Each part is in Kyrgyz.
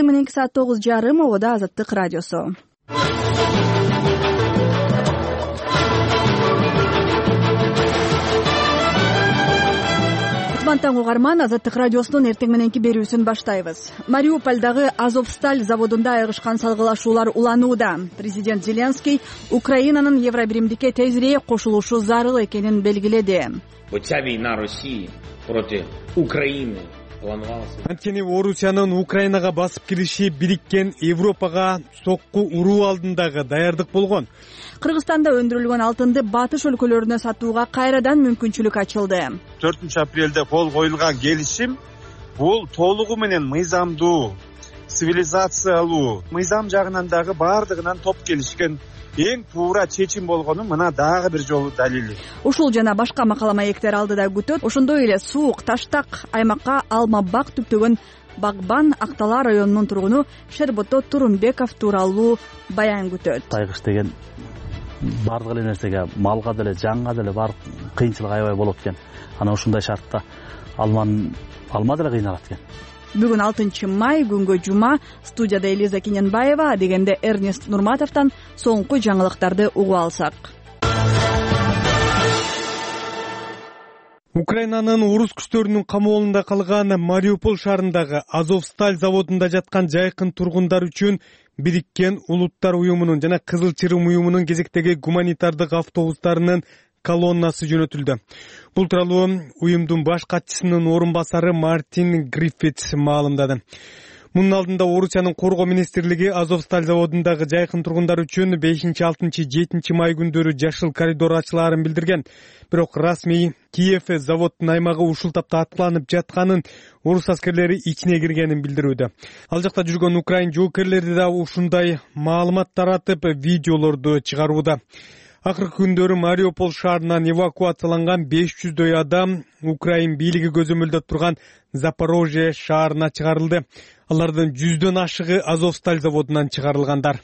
Мененки саат 9:30 обода Азаттык радиосу. Таң угарман, Азаттык радиосунун эртең мененки берүүсүн баштайбыз. Мариупольдагы Азовсталь заводунда айыгышкан салгылашуулар уланууда. Президент Зеленский Украинанын Евробиримдикке тезирээк кошулушу зарыл экенин белгиледи. Ця война России против Украины планувалась. Анткени Орусиянын Украинага басып кириши бириккен Европага сокку уруу алдындагы даярдык болгон. Кыргызстанда өндүрүлгөн алтынды батыш өлкөлөрүнө сатууга кайрадан мүмкүнчүлүк ачылды. 4-апрелде кол коюлган келишим бул толугу менен мыйзамдуу, цивилизациялуу, мыйзам жагынан дагы бардыгынан топ келишкен эң туура чечим болгону мына дагы бир жолу далили. Ушул жана башка макала маектер алдыда күтөт. Ошондой эле суук, таштак аймакка алма бак түптөгөн Багбан Актала районунун тургуну Шербото Турунбеков тууралуу баян күтөт. Тайгыш деген бардык эле нерсеге, малга деле, жанга деле баардык кыйынчылык аябай болот экен. Анан ушундай шартта алма деле кыйналат экен. Бүгүн 6-май, күнгө жума. Студияда Элиза Киненбаева, дегенде Эрнест Нурматовдон соңку жаңылыктарды угуп алсак. Украинанын орус күчтөрүнүн камоолунда калган Мариуполь шаарындагы Азовсталь заводунда жаткан жайкын тургундар үчүн Бириккен Улуттар уюмунун жана Кызыл Чырым уюмунун кезектеги гуманитардык автобустарынын колоннасы жөнөтүлдү. Бул тууралуу уюмдун баш катчысынын орун басары Мартин Гриффитс маалымдады. Мунун алдында Орусиянын коргоо министрлиги Азовсталь заводундагы жайкын тургундар үчүн 5, 6, 7 май күндөрү жашыл коридор ачылаарын билдирген. Бирок расмий Киев заводдун аймагы ушул тапта аткыланып жатканын, орус аскерлери ичине киргенин билдирүүдө. Ал жакта жүргөн украин жоокерлери да ушундай маалымат таратып, видеолорду чыгарууда. Акыркы күндөрү Мариуполь шаарынан эвакуацияланган 500дөй адам Украин бийлиги көзөмөлдөп турган Запорожье шаарына чыгарылды. Алардын 100дөн ашыгы Азовсталь заводунан чыгарылгандар.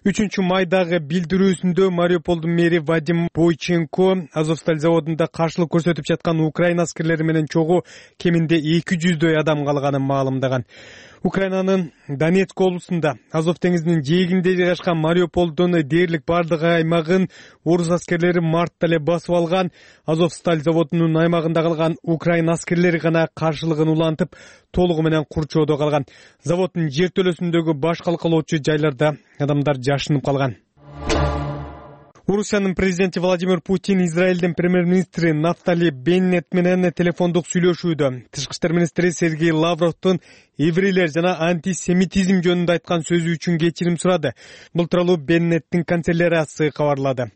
3-майдагы билдирүүсүндө Мариуполдун мэри Вадим Бойченко Азовсталь заводунда каршылык көрсөтүп жаткан украин аскерлери менен чогуу кеминде 200дөй адам калганын маалымдаган. Украинанын Донецк облусунда Азов деңизинин жээгинде жайгашкан Мариуполдун дээрлик бардык аймагын орус аскерлери мартта эле басып алган. Азовсталь заводунун аймагында калган украин аскерлери гана каршылыгын улантып, толугу менен курчоодо калган. Заводдун жертөлөсүндөгү баш калкалоочу жайларда адамдар жашынып калган. Орусиянын президенти Владимир Путин Израилдин премьер-министри Нафтали Беннет менен телефондук сүйлөшүүдө. Тышкы иштер министри Сергей Лавровдун еврейлер жана антисемитизм жөнүндө айткан сөзү үчүн кечирим сурады. Бул тууралуу Беннеттин канцеляриясы кабарлады.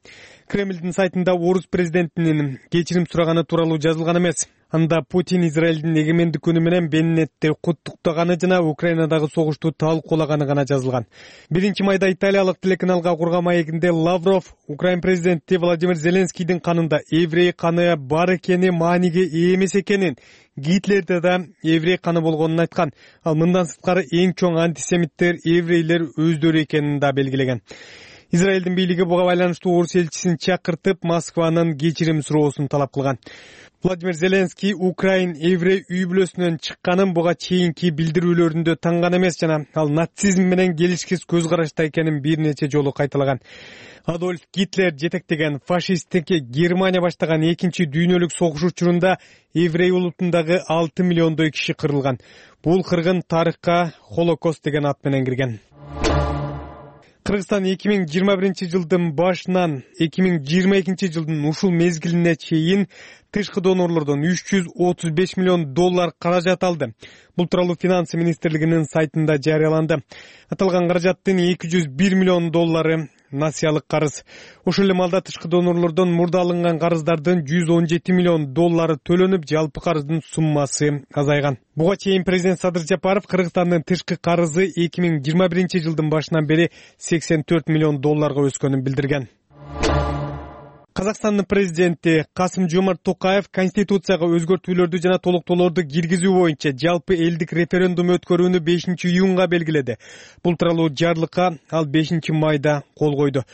Кремлдин сайтында орус президентинин кечирим сураганы тууралуу жазылган эмес. Анда Путин Израилдин эгемендик күнү менен Беннетти куттуктаганы жана Украинадагы согушту талкуулаганы гана жазылган. 1-майда италиялык телеканалга курган маегинде Лавров Украин президенти Владимир Зеленскийдин канында еврей каны бар экени, мааниге ээ эмес экенин, Гитлерде да еврей каны болгонун айткан. Ал мындан сырткары эң чоң антисемиттер еврейлер өздөрү экенин да белгилеген. Израилдин бийлиги буга байланыштуу орус элчисин чакыртып, Москванын кечирим суроосун талап кылган. Владимир Зеленский Украин еврей үй бүлөсүнөн чыкканын буга чейинки билдирүүлөрүндө танган эмес жана ал нацизм менен келишкис көз карашта экенин бир нече жолу кайталаган. Адольф Гитлер жетектеген фашисттик Германия баштаган 2-дүйнөлүк согуш учурунда еврей улутундагы 6 миллиондой киши кырылган. Бул кыргын тарыхка Холокост деген ат менен кирген. Кыргызстан 2021-жылдын башынан 2022-жылдын ушул мезгилине чейин тышкы донорлордон 335 миллион доллар каражат алды. Бул тууралуу финансы министрлигинин сайтында жарыяланды. Аталган каражаттын 201 миллион доллары насиялык карыз. Ошол эле маалда тышкы донорлордон мурда алынган карыздардын 117 миллион доллары төлөнүп, жалпы карыздын суммасы азайган. Буга чейин президент Садыр Жапаров Кыргызстандын тышкы карызы 2021-жылдын башынан бери 84 миллион долларга өскөнүн билдирген. Казакстандын президенти Касым-Жомарт Токаев Конституцияга өзгөртүүлөрдү жана толуктоолорду киргизүү боюнча жалпы элдик референдум өткөрүүнү 5-июнга белгиледи. Бул тууралуу жарлыкка ал 5-майда кол койду.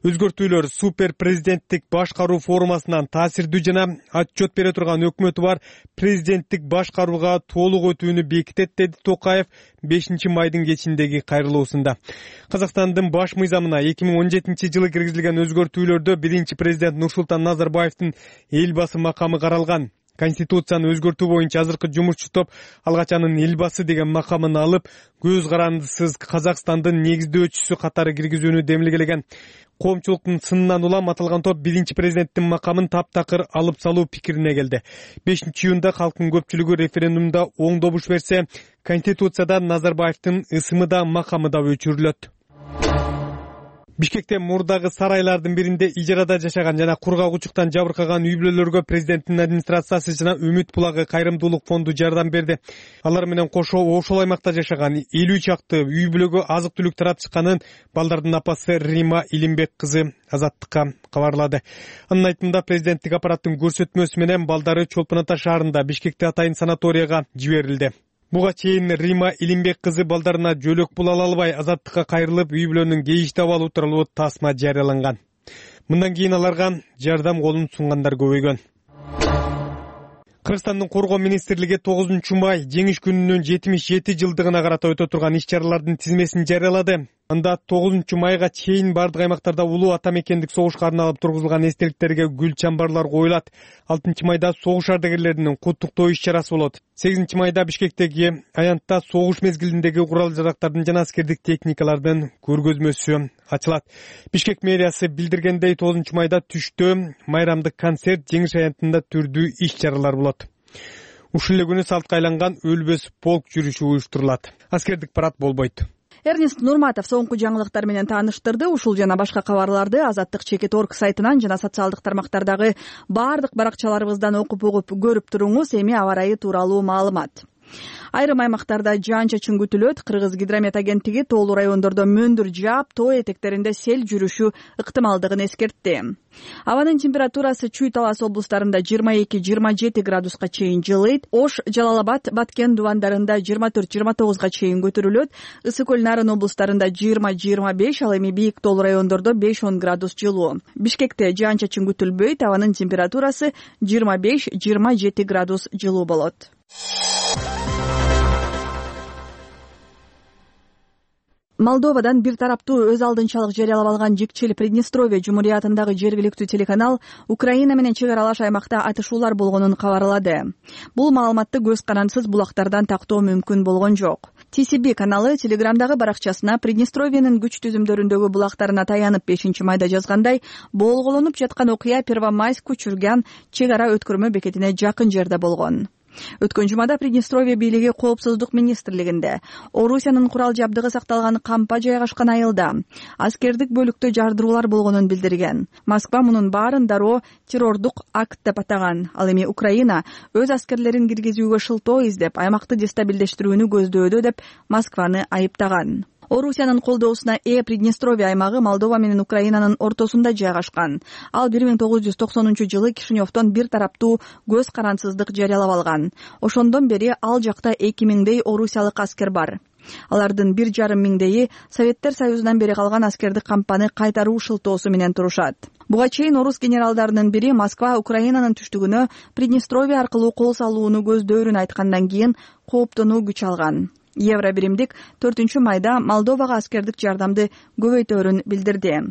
Өзгөртүүлөр супер президенттик башкаруу формасынан таасирдүү жана отчет бере турган өкмөтү бар президенттик башкарууга толук өтүүнү бекитет, деди Токаев 5 майдын кечиндеги кайрылуусунда. Казакстандын баш мыйзамына 2017-жылы киргизилген өзгөртүүлөрдө биринчи президент Нурсултан Назарбаевдин элбасы макамы каралган. Конституцияны өзгөртүү боюнча азыркы жумушчу топ алгач анын элбасы деген макамын алып, көз карандысыз Казакстандын негиздөөчүсү катары киргизүүнү демилгелеген. Коомчулуктун сынынан улам аталган топ биринчи президенттин макамын таптакыр алып салуу пикирине келди. 5-июнда калктын көпчүлүгү референдумда оң добуш берсе, Конституцияда Назарбаевдин ысымы да макамы да өчүрүлөт. Бишкекте мурдагы сарайлардын биринде ижарада жашаган жана кургак учуктан жабыркаган үй-бүлөлөргө президенттин администрациясы жана Үмүт булагы кайрымдуулук фонду жардам берди. Алар менен кошо ошол аймакта жашаган 50 чакты үй-бүлөгө азык-түлүк таратышканын балдардын апасы Рима Илимбек кызы Азаттыкка кабарлады. Анын айтымында президенттик аппараттын көрсөтмөсү менен балдары Чолпон Ата шаарында Бишкекте атайын санаторияга жиберилди. Буга чейин Рима Илимбек кызы балдарына жөлөк пул ала албай Азаттыкка кайрылып, үй-бүлөнүн кейиштеп алуу тууралуу тасма жарыяланган. Мындан кийин аларга жардам колун сунгандар көбөйгөн. Кыргызстандын коргоо министрлиги 9 май жеңиш күнүнүн 77 жылдыгына карата өтө турган иш-чаралардын тизмесин жарыялады. Анда 9 майга чейин бардык аймактарда улуу ата мекендик согушка арналып тургузулган эстеликтерге гүл чамбарлар коюлат. 6 майда согуш ардагерлеринин куттуктоо иш-чарасы болот. 8 майда Бишкектеги аянтта согуш мезгилиндеги курал-жарактардын жана аскердик техникалардын көргөзмөсү ачылат. Бишкек мэриясы билдиргендей 9 майда түштө майрамдык концерт, жеңиш аянтында түрдүү иш-чаралар болот. Ушул эле күнү салтка айланган өлбөс полк жүрүшү уюштурулат. Аскердик парад болбойт. Эрнест Нурматов соңку жаңылыктар менен тааныштырды. Ушул жана башка кабарларды Азаттык.org сайтынан жана социалдык тармактардагы бардык баракчаларыбыздан окуп көрүп туруңуз. Эми аба ырайы тууралуу маалымат. Айрым аймактарда жаан-чачын күтүлөт. Кыргыз гидромет агенттиги тоолуу райондордо мөндүр жаап, тоо этектеринде сел жүрүшү ыктымалдыгын эскертти. Абанын температурасы Чүй Талас облустарында 22-27 градуска чейин жылыйт. Ош, Жалал-Абад, Баткен дубандарында 24-29 чейин көтөрүлөт. Ысык көл Нарын облустарында 20-25, ал эми бийик тоолуу райондордо 5-10 градус жылуу. Бишкекте жаан-чачын күтүлбөйт. Абанын температурасы 25-27 градус жылуу болот. Молдовадан бир тараптуу өз алдынчалык жарыялап алган жикчил Приднестровье Жумуриятындагы жергиликтүү телеканал Украина менен чек аралаш аймакта атышуулар болгонун кабарлады. Бул маалыматты көз карандысыз булактардан тактоо мүмкүн болгон жок. TCB каналы Телеграмдагы баракчасына Приднестровьенин күч түзүмдөрүндөгү булактарына таянып 5 майда жазгандай, болголонуп жаткан окуя Первомайск Чурган чек ара өткөрмө бекетине жакын жерде болгон. Өткөн жумада Приднестровье бийлиги Коопсуздук министрлигинде Орусиянын курал жабдыгы сакталган кампа жайгашкан айылда аскердик бөлүктө жардыруулар болгонун билдирген. Москва мунун баарын дароо террордук акт деп атаган. Ал эми Украина өз аскерлерин киргизүүгө шылтоо издеп, аймакты дестабилдештирүүнү көздөөдө деп Москваны айыптаган. Орусиянын колдоосуна Приднестровье аймагы Молдова менен Украинанын ортосунда жайгашкан. Ал 1990-жылы Кишиневдон бир тараптуу көз карандысыздык жарыялап алган. Ошондон бери ал жакта 2000дей орусиялык аскер бар. Алардын 1,5 миңдейи Советтер Союзунан бери калган аскердик кампаны кайтаруу шылтоосу менен турушат. Буга чейин орус генералдарынын бири Москва Украинанын түштүгүнө Приднестровье аркылуу кол салууну көздөөрүн айткандан кийин кооптонуу күч алган. Евро биримдик 4 майда Молдовага аскердик жардамды көбөйтөөрүн билдирди.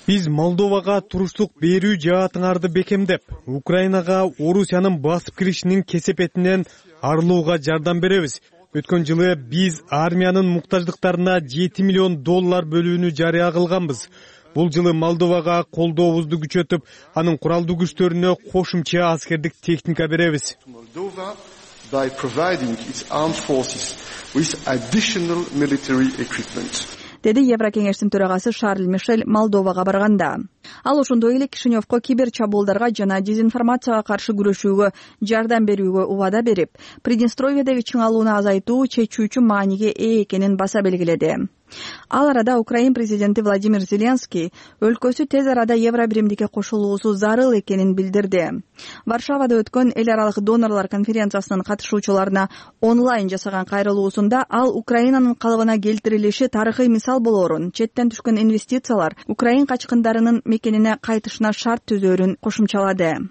Биз Молдовага туруштук берүү жаатыңарды бекемдеп, Украинага Орусиянын басып киришинин кесепетинен арылууга жардам беребиз. Өткөн жылы биз армиянын муктаждыктарына $7 миллион бөлүүнү жарыя кылганбыз. Бул жылы Молдовага колдообузду күчөтүп, анын куралдуу күчтөрүнө кошумча аскердик техника беребиз. Деди Еврокеңештин төрагасы Шарль Мишель Молдовага барганда. Ал ошондой эле Кишиневко кибер чабуулдарга жана дезинформацияга каршы күрөшүүгө жардам берүүгө убада берип, Приднестровьедеги чыңалууну азайтуу чечүүчү мааниге ээ экенин баса белгиледи. Ал арада Украин президенти Владимир Зеленский өлкөсү тез арада Евробиримдикке кошулуусу зарыл экенин билдирди. Варшавада өткөн эл аралык донорлор конференциясынын катышуучуларына онлайн жасаган кайрылуусунда ал Украинанын калыбына келтирилиши тарыхый мисал болоорун, четтен түшкөн инвестициялар Украин качкындарынын мекенине кайтышына шарт түзөөрүн кошумчалады.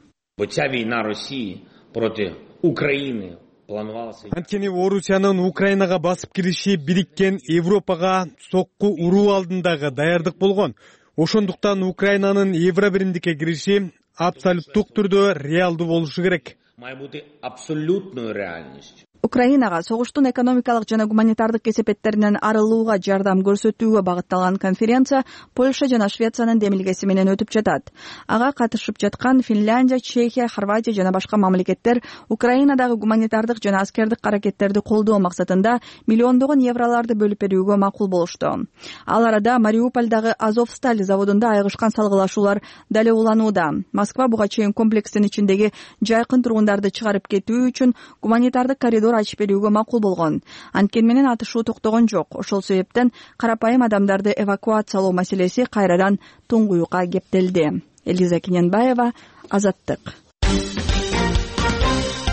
Ця война России против Украины планувалась. Анткени Орусиянын Украинага басып кириши бириккен Европага сокку уруу алдындагы даярдык болгон. Ошондуктан Украинанын Евробиримдикке кириши абсолюттук түрдө реалдуу болушу керек. Має бути абсолютною реальністю. Украинага согуштун экономикалык жана гуманитардык кесепеттеринен арылууга жардам көрсөтүүгө багытталган конференция Польша жана Швециянын демилгеси менен өтүп жатат. Ага катышып жаткан Финляндия, Чехия, Хорватия жана башка мамлекеттер Украинадагы гуманитардык жана аскердик аракеттерди колдоо максатында миллиондогон евроларды бөлүп берүүгө макул болушту. Ал арада Мариупольдагы Азовсталь заводунда айыгышкан салгылашуулар дале уланууда. Москва буга чейин комплекстин ичиндеги жайкын тургундарды чыгарып кетүү үчүн гуманитардык коридор ачып берүүгө макул болгон. Анткени менен атышуу токтогон жок. Ошол себептен карапайым адамдарды эвакуациялоо маселеси кайрадан туңгуюкка кептелди. Элиза Кененбаева, Азаттык.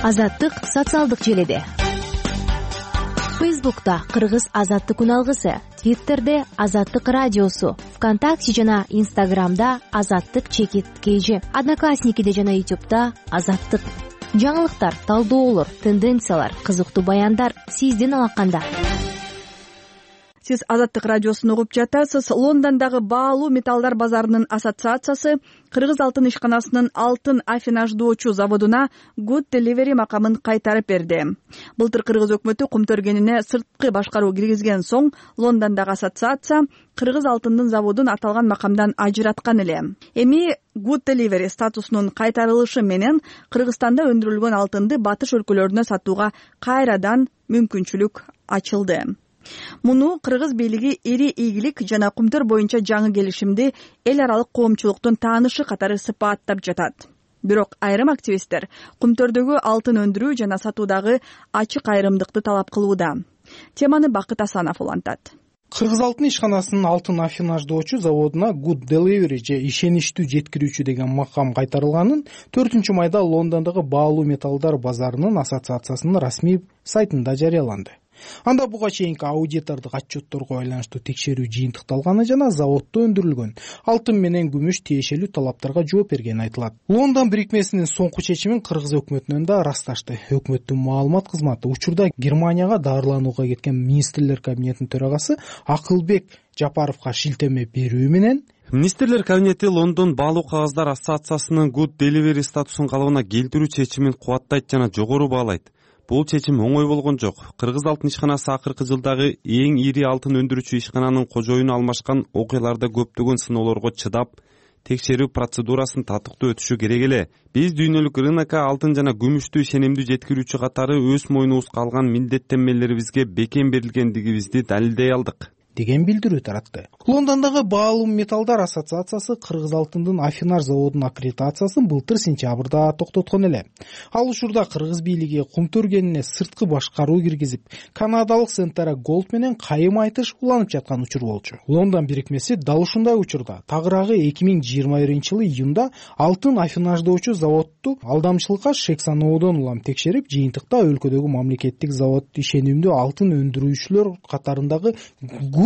Азаттык социалдык желиде. Фейсбукта Кыргыз Азаттык үналгысы, Твиттерде Азаттык радиосу, ВКонтакте жана Инстаграмда Азаттык _KG, Одноклассникиде жана Ютубта Азаттык. Жаңылыктар, талдоолор, тенденциялар, кызыктуу баяндар сиздин алаканда. Сиз Азаттык радиосун угуп жатасыз. Лондондогу баалуу металлдар базарынын ассоциациясы Кыргыз алтын ишканасынын алтын афинаждоочу заводуна Good Delivery макамын кайтарып берди. Былтыр Кыргыз өкмөтү кумтөргенине сырткы башкаруу киргизген соң Лондондогу ассоциация Кыргыз алтындын заводун аталган макамдан ажыраткан эле. Эми Good Delivery статусунун кайтарылышы менен Кыргызстанда өндүрүлгөн алтынды батыш өлкөлөрүнө сатууга кайрадан мүмкүнчүлүк ачылды. Муну кыргыз бийлиги ири ийгилик жана кумтөр боюнча жаңы келишимди эл аралык коомчулуктун таанышы катары сыпаттап жатат. Бирок айрым активисттер кумтөрдөгү алтын өндүрүү жана сатуудагы ачык айрымдыкты талап кылууда. Теманы Бакыт Асанов улантат. Кыргыз алтын ишканасынын алтын афинаждоочу заводуна Good Delivery же ишеничтүү жеткирүүчү деген макам кайтарылганын 4-майда Лондондогу баалуу металлдар базарынын ассоциациясынын расмий сайтында жарыяланды. Анда буга чейинки аудитордук отчетторго байланыштуу текшерүү жыйынтыкталганы жана заводдо өндүрүлгөн алтын менен күмүш тиешелүү талаптарга жооп бергени айтылат. Лондон бирикмесинин соңку чечимин Кыргыз өкмөтүнөн да ырасташты. Өкмөттүн маалымат кызматы учурда Германияга даарыланууга кеткен министрлер кабинетинин төрагасы Акылбек Жапаровго шилтеме берүү менен Министрлер кабинети Лондон баалуу кагаздар ассоциациясынын Good Delivery статусун калыбына келтирүү чечимин кубаттайт жана жогору баалайт. Бул чечим оңой болгон жок. Кыргыз алтын ишканасы акыркы жылдагы эң ири алтын өндүрүүчү ишкананын кожоюну алмашкан окуяларда көптөгөн сыноолорго чыдап, текшерүү процедурасын татыктуу өтүшү керек эле. Биз дүйнөлүк рынокко алтын жана күмүштү ишенимдүү жеткирүүчү катары өз мойнубузга алган милдеттенмелерибизге бекем берилгендигибизди далилдей алдык деген билдирүү таратты. Лондондогу баалуу металлдар ассоциациясы Кыргыз алтындын Афинаж заводунун аккредитациясын былтыр сентябрда токтоткон эле. Ал учурда Кыргыз бийлиги кумтөргенине сырткы башкаруу киргизип, канадалык Сентара Голд менен кайым айтыш уланып жаткан учур болчу. Лондон бирикмеси дал ушундай учурда тагыраагы 2021-жылы июнда алтын афинаждоочу заводду алдамчылыкка шек саноодон улам текшерип, жыйынтыкта өлкөдөгү мамлекеттик завод ишенимдүү алтын өндүрүүчүлөр катарындагы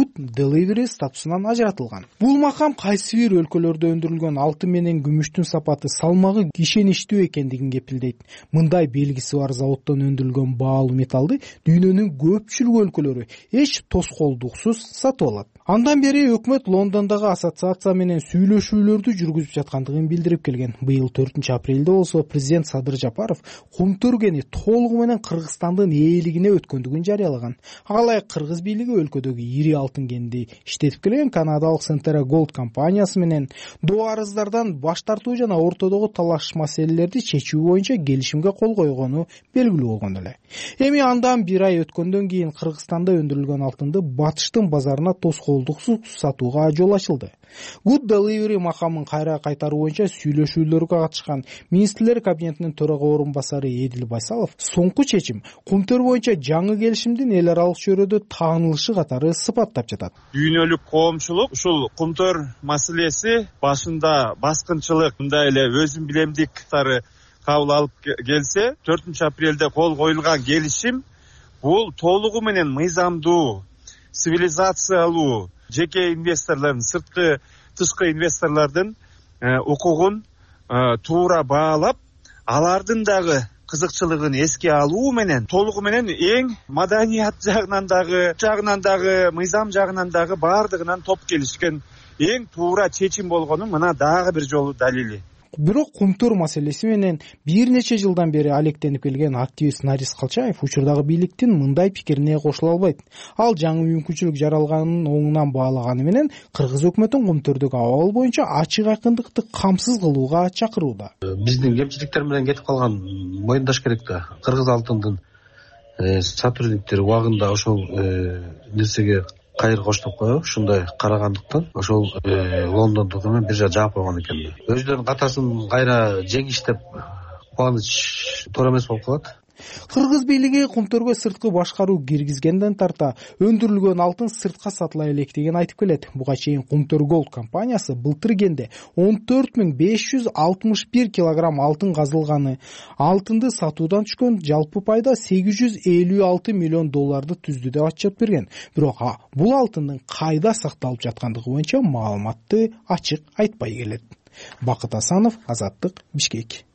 Good Delivery статусунан ажыратылган. Бул макам кайсы бир өлкөлөрдө өндүрүлгөн алтын менен күмүштүн сапаты, салмагы ишеничтүү экендигин кепилдейт. Мындай белгиси бар заводдон өндүрүлгөн баалуу металлды дүйнөнүн көпчүлүк өлкөлөрү эч тоскоолдуксуз сатып алат. Андан бери өкмөт Лондондогу ассоциация менен сүйлөшүүлөрдү жүргүзүп жаткандыгын билдирип келген. Быйыл 4-апрелде болсо президент Садыр Жапаров кумтөргени толугу менен Кыргызстандын ээлигине өткөндүгүн жарыялаган. Ага ылайык Кыргыз бийлиги өлкөдөгү ири алтын кенди иштетип келген канадалык Centera Gold компаниясы менен доо арыздардан баш тартуу жана ортодогу талаш маселелерди чечүү боюнча келишимге кол койгону белгилүү болгон эле. Эми андан бир ай өткөндөн кийин Кыргызстанда өндүрүлгөн алтынды батыштын базарына тоскоолдуксуз сатууга жол ачылды. Good Delivery макамын кайра кайтаруу боюнча сүйлөшүүлөргө катышкан Министрлер кабинетинин төрага орун басары Эдил Байсалов соңку чечим кумтөр боюнча жаңы келишимдин эл аралык чөйрөдө таанылышы катары сыпаттап жатат. Дүйнөлүк коомчулук ушул кумтөр маселеси башында баскынчылык мындай эле өзүн билемдик кабыл алып келсе, 4 апрелде кол коюлган келишим бул толугу менен мыйзамдуу, цивилизациялуу жеке инвесторлордун, тышкы инвесторлордун укугун туура баалап, алардын дагы кызыкчылыгын эске алуу менен толугу менен эң маданият жагынан дагы мыйзам жагынан дагы баардыгынан топ келишкен эң туура чечим болгонун мына дагы бир жолу далили. Бирок кумтөр маселеси менен бир нече жылдан бери алектенип келген активист Нарис Калчаев учурдагы бийликтин мындай пикирине кошула албайт. Ал жаңы мүмкүнчүлүк жаралганын оңунан баалаганы менен кыргыз өкмөтүн кумтөрдөгү абал боюнча ачык айкындыкты камсыз кылууга чакырууда. Биздин кемчиликтер менен кетип калган моюндаш керек да. Кыргыз алтындын сотрудниктери убагында ошол нерсеге кайыр коштоп коюп, ушундай карагандыктан ошол Лондондук менен бир жаап койгон экен. Өздөрүнүн катасын кайра жеңиш деп кубаныч туура эмес болуп калат. Кыргыз бийлиги кумтөргө сырткы башкаруу киргизгенден тарта өндүрүлгөн алтын сыртка сатыла электигин айтып келет. Буга чейин Кумтөр Gold компаниясы былтыр кенде 14561 килограмм алтын казылганы, алтынды сатуудан түшкөн жалпы пайда $856 миллион түздү деп отчет берген. Бирок бул алтындын кайда сакталып жаткандыгы боюнча маалыматты ачык айтпай келет. Бакыт Асанов, Азаттык, Бишкек.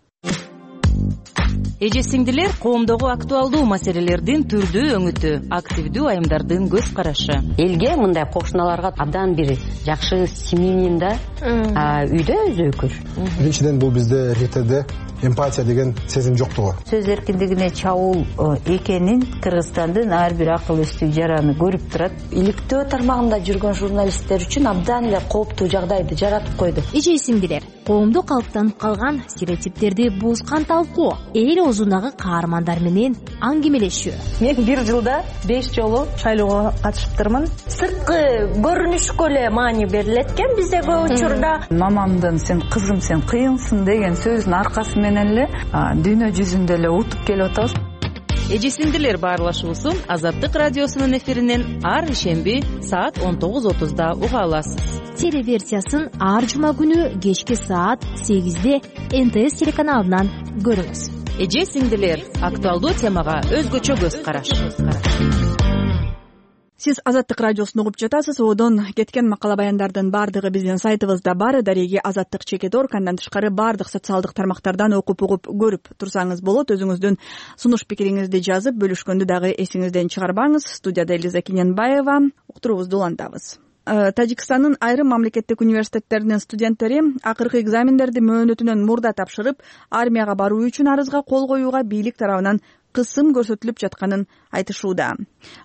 Эже сиңдилер, коомдогу актуалдуу маселелердин түрдүү өңүтү, активдүү айымдардын көз карашы. Элге мындай кошуналарга абдан бир жакшы семьянин да үйдө өзөкүр. Биринчиден бул бизде РТД эмпатия деген сезим жоктугу. Сөз эркиндигине чабуул экенин Кыргызстандын ар бир акыл эстүү жараны көрүп турат. Иликтөө тармагында жүргөн журналисттер үчүн абдан эле кооптуу жагдайды жаратып койду. Эже сиңдилер, коомдо калыптанып калган стереотиптерди бузган талкуу, эл оозундагы каармандар менен аңгемелешүү. Мен бир жылда 5 жолу шайлоого катышыптырмын. Сырткы көрүнүшкө эле маани берилет экен бизде көп учурда. Мамамдын сен кызым сен кыйынсың деген сөзүнүн аркасы менен эле дүйнө жүзүндө эле утуп келип атабыз. Эже сиңдилер баарлашуусун Азаттык радиосунун эфиринен ар ишемби саат 19:30 уга аласыз. Телеверсиясын ар жума күнү кечки саат 8-де НТС телеканалынан көрүңүз. Эже сиңдилер, актуалдуу темага өзгөчө көз караш. Сиз Азаттык радиосун угуп жатасыз. Одон кеткен макала баяндардын баардыгы биздин сайтыбызда бар. Дареги Азаттык.org, андан тышкары баардык социалдык тармактардан окуп көрүп турсаңыз болот. Өзүңүздүн сунуш пикириңизди жазып бөлүшкөндү дагы эсиңизден чыгарбаңыз. Студияда Элиза Кененбаева, уктуруубузду улантабыз. Тажикстандын айрым мамлекеттик университеттеринин студенттери акыркы экзамендерди мөөнөтүнөн мурда тапшырып, армияга баруу үчүн арызга кол коюуга бийлик тарабынан кысым көрсөтүлүп жатканын айтышууда.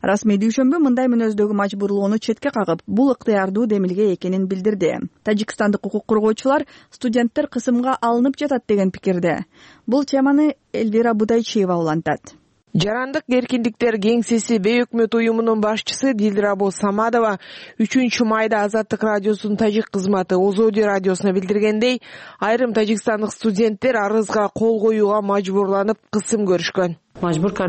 Расмий дүйшөмбү мындай мүнөздөгү мажбурлоону четке кагып, бул ыктыярдуу демилге экенин билдирди. Тажикстандык укук коргоочулар студенттер кысымга алынып жатат деген пикирде. Бул теманы Эльвира Будайчиева улантат. Жарандык эркиндиктер кеңсеси бейөкмөт уюмунун башчысы Дилрабо Самадова 3 майда Азаттык радиосунун тажик кызматы Озоди радиосуна билдиргендей, айрым тажикстандык студенттер арызга кол коюуга мажбурланып кысым көрүшкөн. Акыркы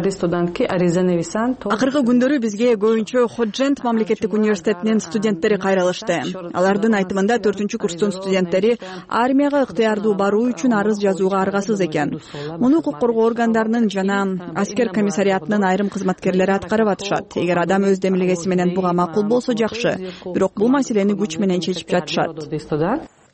күндөрү бизге көбүнчө Ходжент мамлекеттик университетинин студенттери кайрылышты. Алардын айтымында 4-курстун студенттери армияга ыктыярдуу баруу үчүн арыз жазууга аргасыз экен. Муну укук коргоо органдарынын жана аскер комиссариатынын айрым кызматкерлери аткарып атышат. Эгер адам өз демилгеси менен буга макул болсо жакшы, бирок бул маселени күч менен чечип жатышат.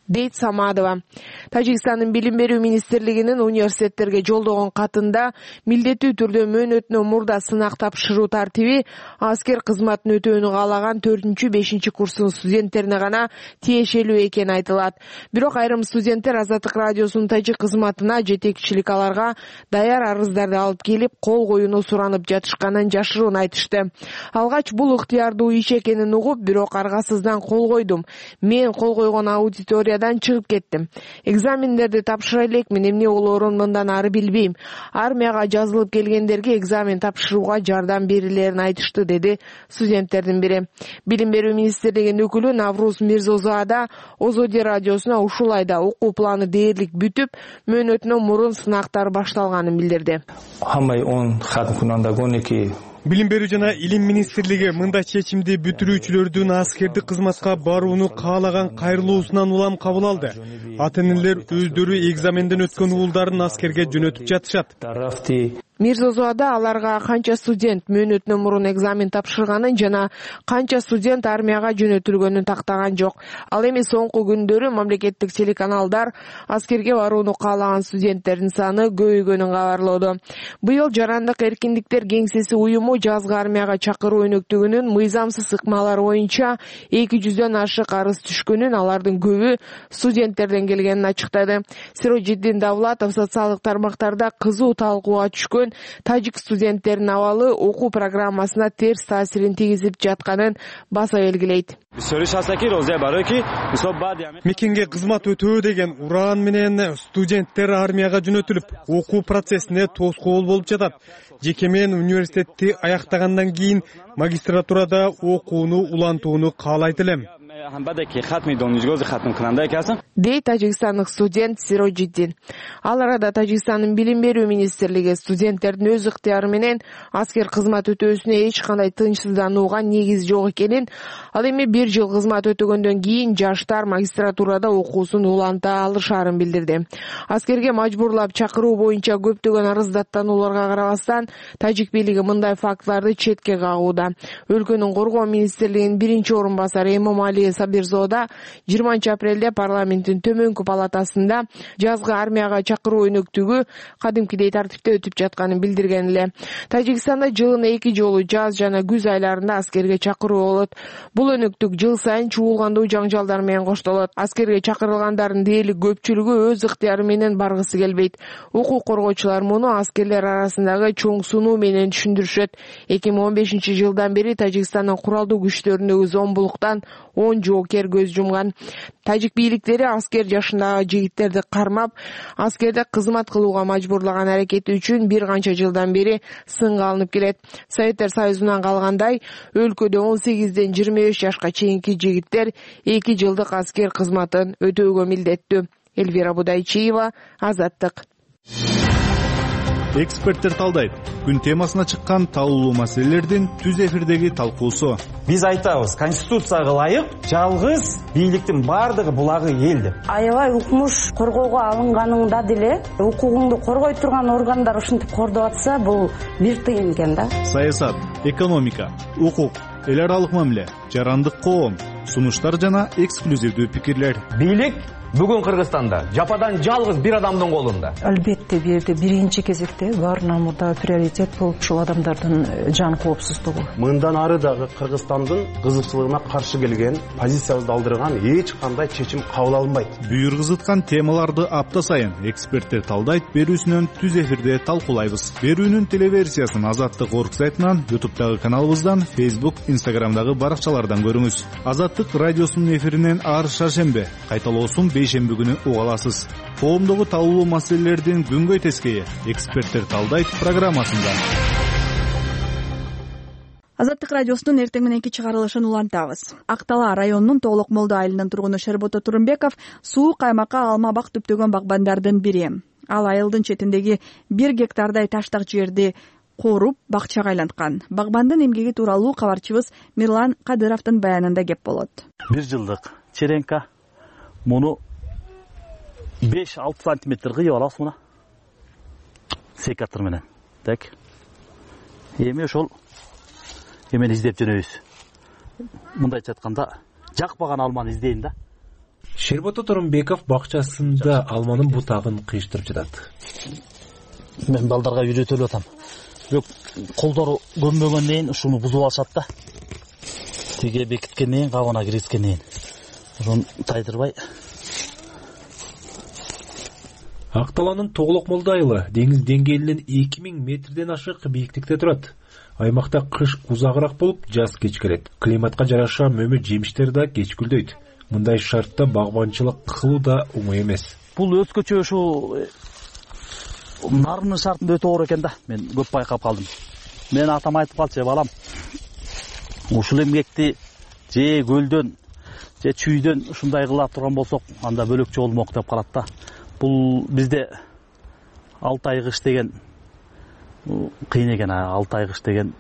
дейт Самадова. Тажикстандын билим берүү министрлигинин университеттерге жолдогон катында милдеттүү түрдө мөөнөтүнөн мурда сынак тапшыруу тартиби аскер кызматын өтөөнү каалаган 4-5 курстун студенттерине гана тиешелүү экени айтылат. Бирок айрым студенттер Азаттык радиосунун тажик кызматына жетекчилик аларга даяр арыздарды алып келип, кол коюуну суранып жатышканын жашыруун айтышты. Алгач бул ыктыярдуу иш экенин угуп, бирок аргасыздан кол койдум. Мен кол койгон аудиториядан чыгып кеттим. Экзамендерди тапшыра элекмин, эмне болоорун мындан ары билбейм. Армияга жазылып келгендерге экзамен тапшырууга жардам берилерин айтышты, деди студенттердин бири. Билим берүү министрлигинин өкүлү Навруз Мирзозада Озоди радиосуна ушул айда окуу планы дээрлик бүтүп, мөөнөтүнөн мурун сынактар башталганын билдирди. Билим берүү жана илим министрлиги мындай чечимди бүтүрүүчүлөрдүн аскердик кызматка барууну каалаган кайрылуусунан улам кабыл алды. Ата энелер өздөрү экзаменден өткөн уулдарын аскерге жөнөтүп жатышат. Мирзозоада аларга канча студент мөөнөтүнөн мурун экзамен тапшырганын жана канча студент армияга жөнөтүлгөнүн тактаган жок. Ал эми соңку күндөрү мамлекеттик телеканалдар аскерге барууну каалаган студенттердин саны көбөйгөнүн кабарлоодо. Быйыл Жарандык эркиндиктер кеңсеси уюму жазгы армияга чакыруу өнөктүгүнүн мыйзамсыз ыкмалары боюнча 200дөн ашык арыз түшкөнүн, алардын көбү студенттерден келгенин ачыктады. Сирожиддин Давлатов социалдык тармактарда кызуу талкууга түшкөн тажик студенттеринин абалы окуу программасына терс таасирин тийгизип жатканын баса белгилейт. Мекенге кызмат өтөө деген ураан менен студенттер армияга жөнөтүлүп, окуу процессине тоскоол болуп жатат. Жеке мен университетти аяктагандан кийин магистратурада окууну улантууну каалайт элем, дейт тажикстандык студент Сирожиддин. Ал арада Тажикстандын билим берүү министрлиги студенттердин өз ыктыяры менен аскер кызмат өтөөсүнө эч кандай тынчсызданууга негиз жок экенин, ал эми 1 жыл кызмат өтөгөндөн кийин жаштар магистратурада окуусун уланта алышарын билдирди. Аскерге мажбурлап чакыруу боюнча көптөгөн арыздаттанууларга карабастан, тажик бийлиги мындай фактыларды четке кагууда. Өлкөнүн коргоо министрлигинин 1-орун басары Эмомали Сабирзода 20 апрелде парламенттин төмөнкү палатасында жазгы армияга чакыруу өнөктүгү кадимкидей тартипте өтүп жатканын билдирген эле. Тажикстанда жылына 2 жолу жаз жана күз айларында аскерге чакыруу болот. Бул өнөктүк жыл сайын чуулгандуу жаңжалдар менен коштолот. Аскерге чакырылгандардын дээрлик көпчүлүгү өз ыктыяры менен баргысы келбейт. Укук коргоочулар муну аскерлер арасындагы чоң сунуу менен түшүндүрүшөт. 2015-жылдан бери Тажикстандын куралдуу күчтөрүндөгү зомбулуктан 10 жоокер көз жумган. Тажик бийликтери аскер жашындагы жигиттерди кармап, аскерде кызмат кылууга мажбурлаган аракети үчүн бир канча жылдан бери сынга алынып келет. Советтер Союзунан калгандай, өлкөдө 18-ден 25 жашка чейинки жигиттер 2 жылдык аскер кызматын өтөөгө милдеттүү. Элвира Будайчиева, Азаттык. Эксперттер талдайт. Күн темасына чыккан талуулуу маселелердин түз эфирдеги талкуусу. Биз айтабыз, конституцияга ылайык жалгыз бийликтин бардыгы булагы эл деп. Аябай укмуш коргоого алынганыңда деле укугуңду коргой турган органдар ушинтип кордоп атса, бул бир тыйын экен да. Саясат, экономика, укук, эл аралык мамиле, жарандык коом, сунуштар жана эксклюзивдүү пикирлер. Бийлик бүгүн Кыргызстанда жападан жалгыз бир адамдын колунда. Албетте бул жерде биринчи кезекте баарынан мурда приоритет бул ушул адамдардын жан коопсуздугу. Мындан ары дагы Кыргызстандын кызыкчылыгына каршы келген, позициябызды алдырган эч кандай чечим кабыл алынбайт. Бүйүр кызыткан темаларды апта сайын эксперттер талдайт берүүсүнөн түз эфирде талкуулайбыз. Берүүнүн телеверсиясын Азаттык орг сайтынан, YouTube'дагы каналыбыздан, Facebook, Instagram'дагы баракчалардан көрүңүз. Азаттык радиосунун эфиринен ар шаршембе, кайталоосун бейшемби күнү уга аласыз. Коомдогу талуулуу маселелердин күнгөй тескейи эксперттер талдайт программасында. Азаттык радиосунун эртең мененки чыгарылышын улантабыз. Актала районунун Тоолок Молдо айылынын тургуну Шербото Турумбеков суук аймакка алма бак түптөгөн багбандардын бири. Ал айылдын четиндеги 1 гектардай таштак жерди кооруп бакчага айланткан. Багбандын эмгеги тууралуу кабарчыбыз Мирлан Кадыровдун баянында кеп болот. 1 жылдык черенка муну 5-6 сантиметр кыйып алабыз мына. Секатор менен. Так. Эми ошол эмени издеп жөнөйбүз. Мындайча айтканда, жакпаган алманы издейин да. Шербото Турумбеков бакчасында алманын бутагын кыйыштырып жатат. Мен балдарга үйрөтүп атам. Бирок колдору көнбөгөндөн кийин ушуну бузуп алышат да. Тиге бекиткенден кийин кабына киргизгенден кийин ошону тайдырбай. Ак Талаанын Тоглокмолду айылы деңиз деңгээлинен 2000 метрден ашык бийиктикте турат. Аймакта кыш узагыраак болуп, жаз кеч келет. Климатка жараша мөмө жемиштер да кеч гүлдөйт. Мындай шартта багбанчылык кылуу да оңой эмес. Бул өзгөчө ушу нарынын шартында өтө оор экен да. Мен көп байкап калдым. Мен атам айтып калчу, балам. Ушул эмгекти же көлдөн, же чүйдөн ушундай кыла турган болсок, анда бөлөкчө болмок деп калат да. Бул бизде 6 ай кыш деген кыйын экен. 6 ай кыш деген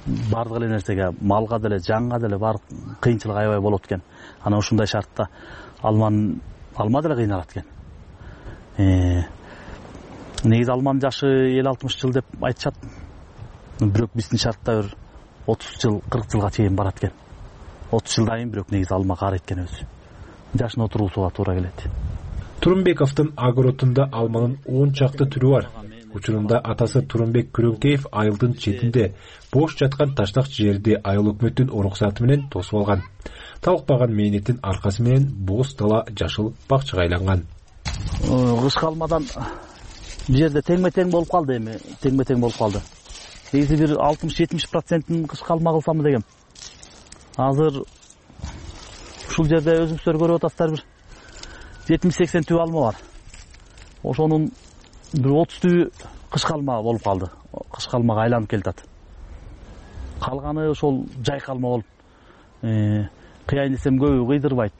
бардык эле нерсеге, малга деле, жанга деле бар кыйынчылык аябай болот экен. Анан ушундай шартта алма деле кыйналат экен. Негизи алманын жашы 50-60 жыл деп айтышат. Бирок биздин шартта бир 30 жыл, 40 жылга чейин барат экен. 30 жылдан кийин бирок негизи алма каар экен өзү. Жашын отургузууга туура келет. Турумбековдун огородунда алманын 10 чакты түрү бар. Учурунда атасы Турумбек Күрөңкеев айылдын четинде бош жаткан таштак жерди айыл өкмөттүн уруксаты менен тосуп алган. Талыкпаган мээнеттин аркасы менен боз дала жашыл бакчага айланган. Кышкы алмадан бул жерде теңме-тең болуп калды эми, теңме-тең болуп калды. Негизи бир 60-70%-ын кышкы алма кылсам дегем. Азыр ушул жерде өзүңүздөр көрүп атасыздар, бир 70-80 түп алма бар. Ошонун бир 30 түбү кышкы алма болуп калды. Кышкы алмага айланып келатат. Калганы ошол жайкы алма болуп. Кыяйын десем көбү кыйдырбайт.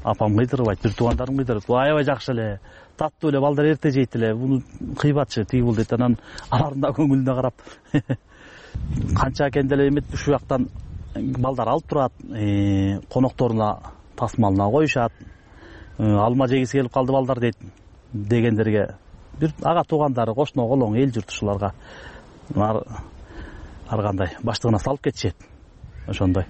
Апам кыйдырбайт, бир туугандарым кыйдырат. Бул аябай жакшы эле, таттуу эле, балдар эрте жейт эле. Буну кыйбатчы, тиги бул дейт. Анан алардын да көңүлүнө карап канча экен деле эмет, ушул жактан балдар алып турат, конокторуна тасмалына коюшат. Алма жегиси келип калды балдар дейт дегендерге бир ага туугандары, кошуно колоң, эл журт ушуларга ар кандай баштыгына салып кетишет. Ошондой.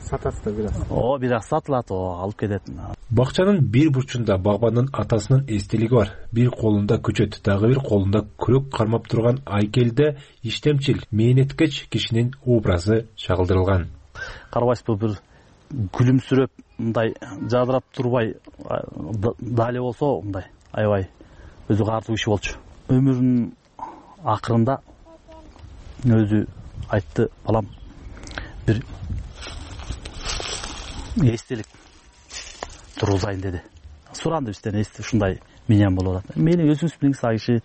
Сатасыздар бир аз. Бир аз сатылат, алып кетет. Бакчанын бир бурчунда багбандын атасынын эстелиги бар. Бир колунда күчөт, дагы бир колунда күрөк кармап турган айкелде иштемчил, мээнеткеч кишинин образы чагылдырылган. Карабайсызбы, бир күлүмсүрөп, мындай жадырап турбай дале болсо, мындай аябай өзү каардуу киши болчу. Өмүрүнүн акырында өзү айтты, балам, бир эстелик тургузайын деди. Суранды бизден, ушундай менен болуп атат. Мени өзүңүз билиңиз, а киши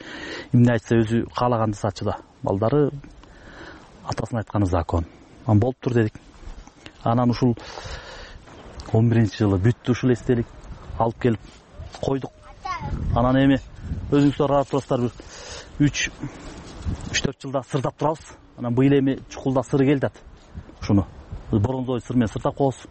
эмне айтса өзү каалаганды сатчу да. Балдары атасынын айтканы закон. Болуптур дедик. Анан ушул 11-жылы бүттү ушул эстелик, алып келип койдук. Анан эми өзүңүздөр карап турасыздар, бир 3-4 жылда сырдап турабыз. Анан быйыл эми чукулда сыры келди ат. Ушуну бронзовый сыр менен сырдап коебуз.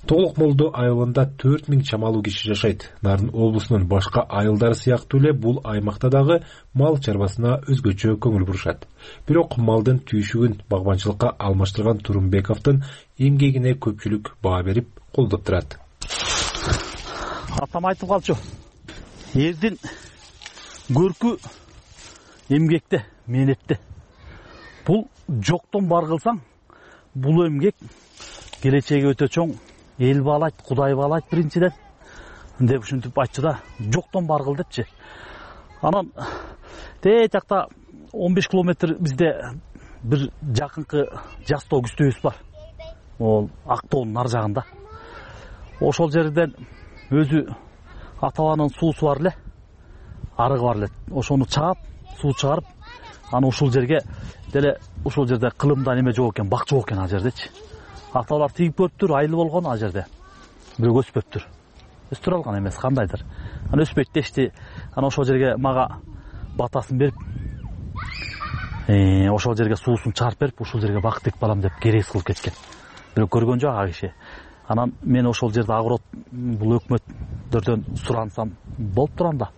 Тоглокмолду айылында 4000 чамалуу киши жашайт. Нарын облусунун башка айылдары сыяктуу эле бул аймакта дагы мал чарбасына өзгөчө көңүл бурушат. Бирок малдын түйшүгүн багбанчылыкка алмаштырган Турумбековдун эмгегине көпчүлүк баа берип колдоп турат. Атам айтып калчу. Эрдин көркү эмгекте, мээнетте. Бул жоктон бар кылсаң, бул эмгек келечеги өтө чоң. Эл баалайт, Кудай баалайт биринчиден деп ушинтип айтчу да, жоктон бар кыл депчи. Анан тээ жакта 15 километр бизде бир жакынкы Жастоо күстөбүз бар. Ол Актоонун ар жагында. Ошол жерден өзү ата-бабанын суусу бар эле, арыгы бар эле. Ошону чаап, суу чыгарып, аны ушул жерге деле ушул жерде кылымда неме жок экен, бак жок экен ал жердечи. Аталар тийип көрүптүр, айыл болгон ал жерде. Бирок өспөптүр. Өстүрө алган эмес, кандайдыр. Аны өспөйт дешти. Ана ошол жерге мага батасын берип, ошол жерге суусун чыгарып берип, ушул жерге бак тек балам деп керес кылып кеткен. Бирок көргөн жок ага киши. Анан мен ошол жерде огород бул өкмөттөрдөн сурансам болуп турам да,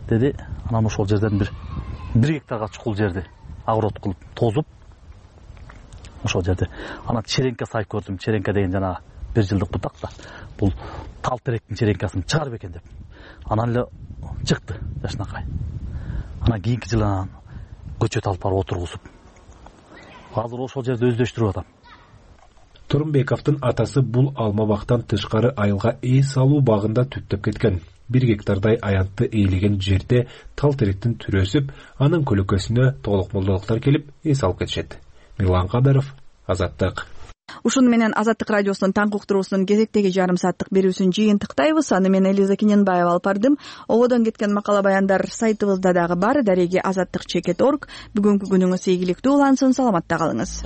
деди. Анан ошол жерден бир гектарга чукул жерди огород кылып тозуп ошол жерде. Анан черенке сайып көрдүм. Черенке деген жана бир жылдык бутак да. Бул тал теректин черенкасын чыгарып экен деп. Анан эле чыкты жашынакай. Анан кийинки жылы анан көчөт алып барып отургузуп. Азыр ошол жерде өздөштүрүп атам. Турумбековдун атасы бул алма бактан тышкары айылга эс алуу багында түптөп кеткен. 1 гектардай аянтты ээлеген жерде тал теректин түрү өсүп, анын көлөкөсүнө толук молдолуктар келип эс алып кетишет. Мирлан Кадаров, Азаттык. Ушуну менен Азаттык радиосунун таңкы уктуруусунун кезектеги жарым сааттык берүүсүн жыйынтыктайбыз. Аны мен Элиза Кененбаева алып бардым. Ободон кеткен макала баяндар сайтыбызда дагы бар. Дареги azattik.org. Бүгүнкү күнүңүз ийгиликтүү улансын, саламатта калыңыз.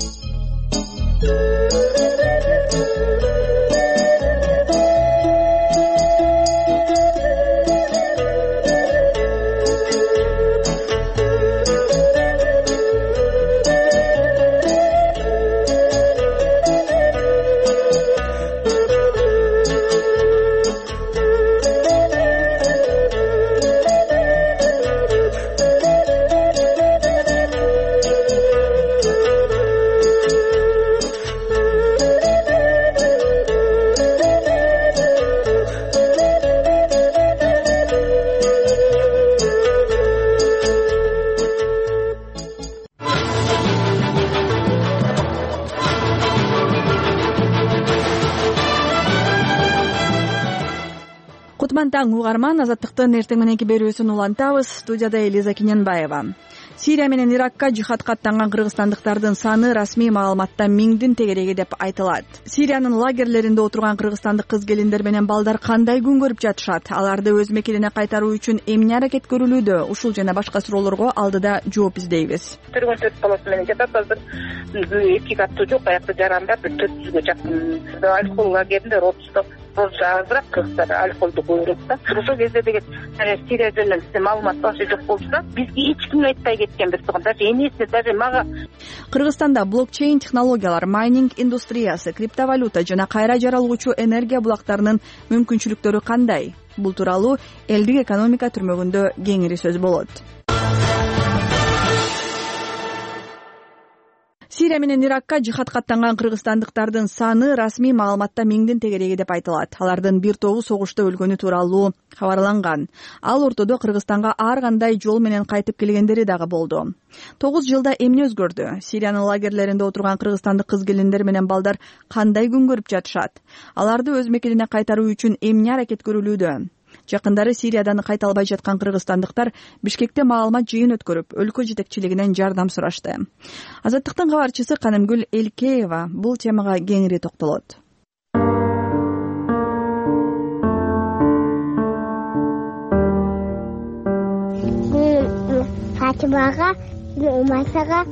Таң угарман, Азаттыктын эртең мененки берүүсүн улантабыз. Студияда Элиза Кененбаева. Сирия менен Иракка жихадка аттанган кыргызстандыктардын саны расмий маалыматта 1000дин тегереги деп айтылат. Сириянын лагерлеринде отурган кыргызстандык кыз-келиндер менен балдар кандай күн көрүп жатышат? Аларды өз мекенине кайтаруу үчүн эмне аракет көрүлүүдө? Ушул жана башка суроолорго алдыда жооп издейбиз. Төргөн 4 баласы менен жатат. Азыр 2 каттуу жок, аякта жарандар 400гө жакын. Алкол лагеринде родусто азыраак кыргыздар алколду көбүрөөк да. Ошол кезде деген Сирия жөнүндө бизде маалымат башы жок болчу, бизге эч ким айтпай кеткен, бирок даже энеси даже мага. Кыргызстанда блокчейн технологиялар, майнинг индустриясы, криптовалюта жана кайра жаралгучу энергия булактарынын мүмкүнчүлүктөрү кандай? Бул тууралуу элдик экономика түрмөгүндө кеңири сөз болот. Сирия менен Иракка жихадка аттанган кыргызстандыктардын саны расмий маалыматта 1000дин тегереги деп айтылат. Алардын бир тобу согушта өлгөнү тууралуу кабарланган. Ал ортодо Кыргызстанга ар кандай жол менен кайтып келгендери дагы болду. 9 жылда эмне өзгөрдү? Сириянын лагерлеринде отурган кыргызстандык кыз-келиндер менен балдар кандай күн көрүп жатышат? Аларды өз мекенине кайтаруу үчүн эмне аракет көрүлүүдө? Жакындары Сириядан кайта албай жаткан кыргызстандыктар Бишкекте маалымат жыйын өткөрүп, өлкө жетекчилигинен жардам сурашты. Азаттыктын кабарчысы Канымгүл Элкеева бул темага кеңири токтолот. Фатимага, Умасага,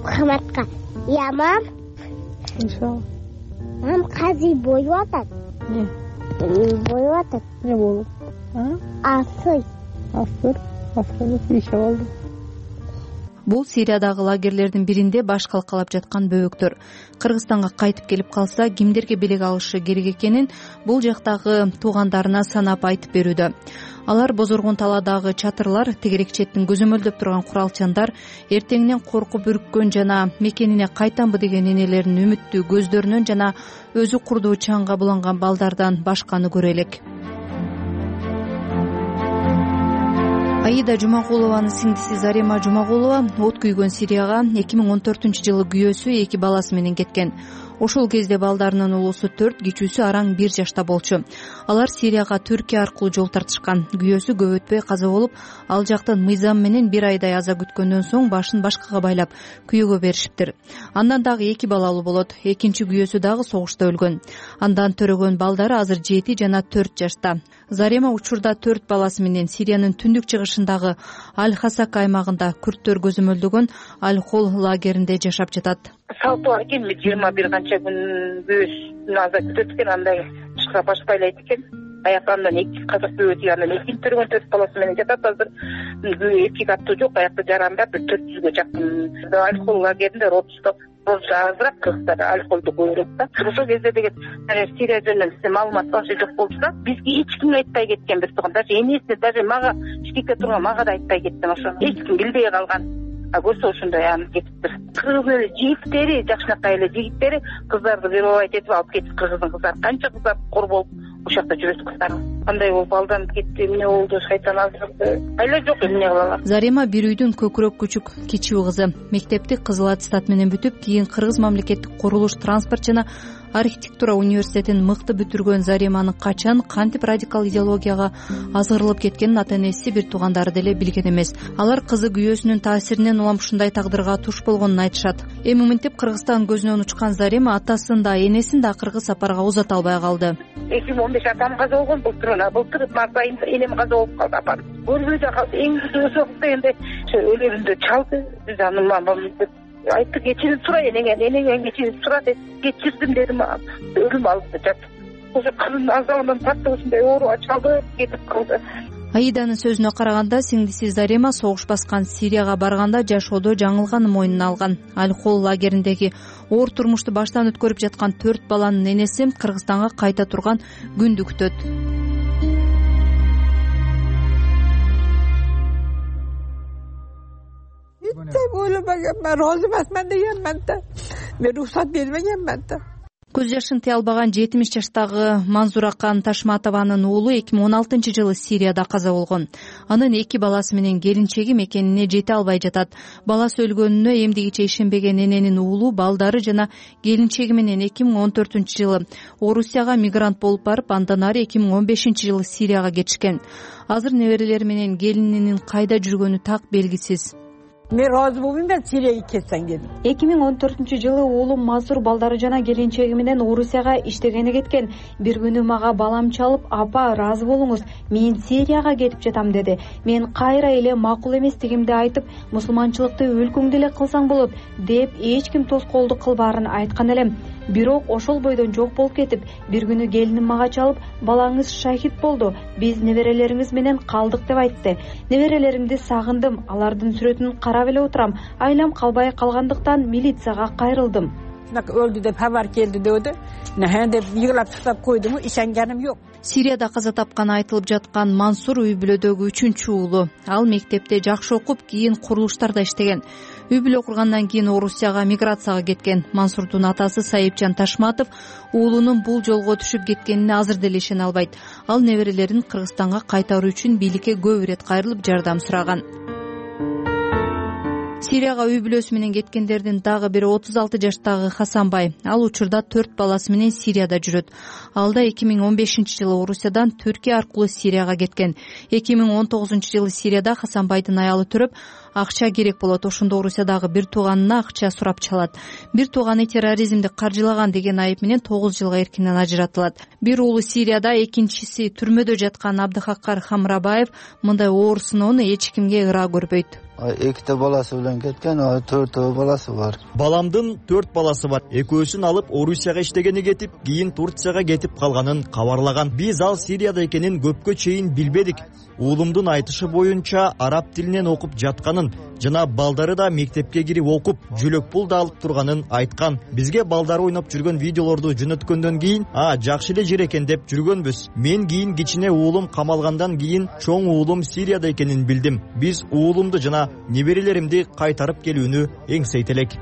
Хаматка. Я мам. Мам кази боюп атат. Боюп атат. Не болуп? Асыр иши болду. Бул Сириядагы лагерлердин биринде баш калкалап жаткан бөбөктөр. Кыргызстанга кайтып келип калса, кимдерге белек алышы керек экенин бул жактагы туугандарына санап айтып берүүдө. Алар Бозоргон таладагы чатырлар, тегерек четтин көзөмөлдөп турган куралчандар, эртеңинен коркуп үрккөн жана мекенине кайтамбы деген энелеринин үмүттүү көздөрүнөн жана өзү курдуу чаңга буланган балдардан башканы көрө элек. Аида Жумагулованын сиңдиси Зарема Жумагулова от күйгөн Сирияга 2014-жылы күйөөсү 2 баласы менен кеткен. Ошол кезде балдарынын улуусу 4, кичүүсү араң 1 жашта болчу. Алар Сирияга Түркия аркылуу жол тартышкан. Күйөөсү көп өтпөй каза болуп, ал жактан мыйзам менен 1 айдай аза күткөндөн соң башын башкага байлап күйөөгө беришиптир. Андан дагы 2 балалуу болот. Экинчи күйөөсү дагы согушта өлгөн. Андан төрөгөн балдары азыр 7 жана 4 жашта. Зарема учурда 4 баласы менен Сириянын түндүк чыгышындагы Аль-Хасак аймагында күрттөр көзөмөлдөгөн Аль-Хол лагеринде жашап жатат. Салтуу экен, 21 канча күн күйөөсүн аза күтөт экен, андай чыга башпайлайт экен. Аякандан 2 казак бөөтү, андан экинчи төргөн 4 баласы менен жатат. Азыр 2 каттуу жок, аякта жарандар 400гө жакын. Аль-Хол лагеринде родусто азыраак кыргыздар алколду көбүрөөк да. Ошол кезде деген Сирия жөнүндө бизде маалымат башы жок болчу, бизге эч ким айтпай кеткен, бирок даже энеси даже мага Бишкекте турган мага да айтпай кеткен. Ошо эч ким билбей калган. көрсө ошондой анан кетиптир. Кыргыздын эле жигиттери, жакшынакай эле жигиттери кыздарды вербовать этип алып кетип, кыргыздын кыздары канча кыздар кор болуп ошол жакта жүрөт кыздар. Кандай болуп алданып кетти, эмне болду, шайтан азырды. Айла жок эмне кылалар. Зарема бир үйдүн көкүрөк күчүк кичүү кызы. Мектепти кызыл аттестат менен бүтүп, кийин Кыргыз мамлекеттик курулуш, транспорт жана архитектура университетин мыкты бүтүргөн Зареманын качан кантип радикал идеологияга азгырылып кеткенин ата-энеси, бир туугандары деле билген эмес. Алар кызы күйөөсүнүн таасиринен улам ушундай тагдырга туш болгонун айтышат. Эми мынтип Кыргызстан көзүнөн учкан Зарема атасын да энесин да акыркы сапарга узата албай калды. 2015 атам каза болгон, былтыр март айында энем каза болуп калды, апам. Көрбөй калды, эң өсөк дегенде өлөрүндө чалды. Биз аны айтты, кечирип сурай, энеңен кечирип сура деп кечирдим дедим. Өлүм алды жат. Ошо кызын азабынан тартып ушундай ооруга чалды, кетип калды. Аиданын сөзүнө караганда, сиңдиси Зарема согуш баскан Сирияга барганда жашоодо жаңылганын мойнуна алган. Аль-Хол лагериндеги оор турмушту баштан өткөрүп жаткан 4 баланын энеси Кыргызстанга кайта турган күндү күтөт. Ойлобогенмин, розы эмесмин дегенмин да. Мен уруксат бербегенмин да. Көз жашын тыя албаган 70 жаштагы Манзуракан Ташматованын уулу 2016-жылы Сирияда каза болгон. Анын 2 баласы менен келинчеги мекенине жете албай жатат. Баласы өлгөнүнө эмдигиче ишенбеген эненин уулу, балдары жана келинчеги менен 2014-жылы Орусияга мигрант болуп барып, андан ары 2015-жылы Сирияга кетишкен. Азыр неберелери менен келининин кайда жүргөнү так белгисиз. Мен разы болбойм, мен Сирияга кетсең дедим. 2014-жылы уулум Мазур балдары жана келинчеги менен Орусияга иштегени кеткен. Бир күнү мага балам чалып, апа разы болуңуз, мен Сирияга кетип жатам деди. Мен кайра эле макул эместигимди айтып, мусулманчылыкты өлкөңдө эле кылсаң болот деп эч ким тоскоолдук кылбаарын айткан элем. Бирок ошол бойдон жок болуп кетип, бир күнү келиним мага чалып, балаңыз шахид болду, биз неберелериңиз менен калдык деп айтты. Неберелеримди сагындым, алардын сүрөтүн карап эле отурам. Айлам калбай калгандыктан милицияга кайрылдым. Өлдү деп хабар келди деди. Деп йыгылап тактап койдуму, ишенгеним жок. Сирияда каза тапканы айтылып жаткан Мансур үй бүлөдөгү 3-чү уулу. Ал мектепте жакшы окуп, кийин курулуштарда иштеген. Үй бүлө кургандан кийин Орусияга миграцияга кеткен. Мансурдун атасы Сайыпжан Ташматов уулунун бул жолго түшүп кеткенине азыр деле ишене албайт. Ал неберелерин Кыргызстанга кайтаруу үчүн бийликке көп ирет кайрылып жардам сураган. Сирияга үй бүлөсү менен кеткендердин дагы бири 36 жаштагы Хасанбай. Ал учурда 4 баласы менен Сирияда жүрөт. Ал да 2015-жылы Орусиядан Түркия аркылуу Сирияга кеткен. 2019-жылы Сирияда Хасанбайдын аялы төрөп, акча керек болот. Ошондо Орусиядагы бир тууганына акча сурап чалат. Бир тууганы терроризмди каржылаган деген айып менен 9 жылга эркинен ажыратылат. Бир уулу Сирияда, экинчиси түрмөдө жаткан Абдыхаккар Хамрабаев мындай оор сыноону эч кимге ыра көрбөйт. 2 баласы менен кеткен, 4 баласы бар. Баламдын 4 баласы бар. Экөөсүн алып Орусияга иштегени кетип, кийин Турцияга кетип калганын кабарлаган. Биз ал Сирияда экенин көпкө чейин билбедик. Уулумдун айтышы боюнча араб тилинен окуп жатканын жана балдары да мектепке кирип окуп, жүлөк пул да алып турганын айткан. Бизге балдары ойноп жүргөн видеолорду жөнөткөндөн кийин, жакшы эле жер экен деп жүргөнбүз. Мен кийин кичине уулум камалгандан кийин чоң уулум Сирияда экенин билдим. Биз уулумду жана неберелеримди кайтарып келүүнү эңсейт элек.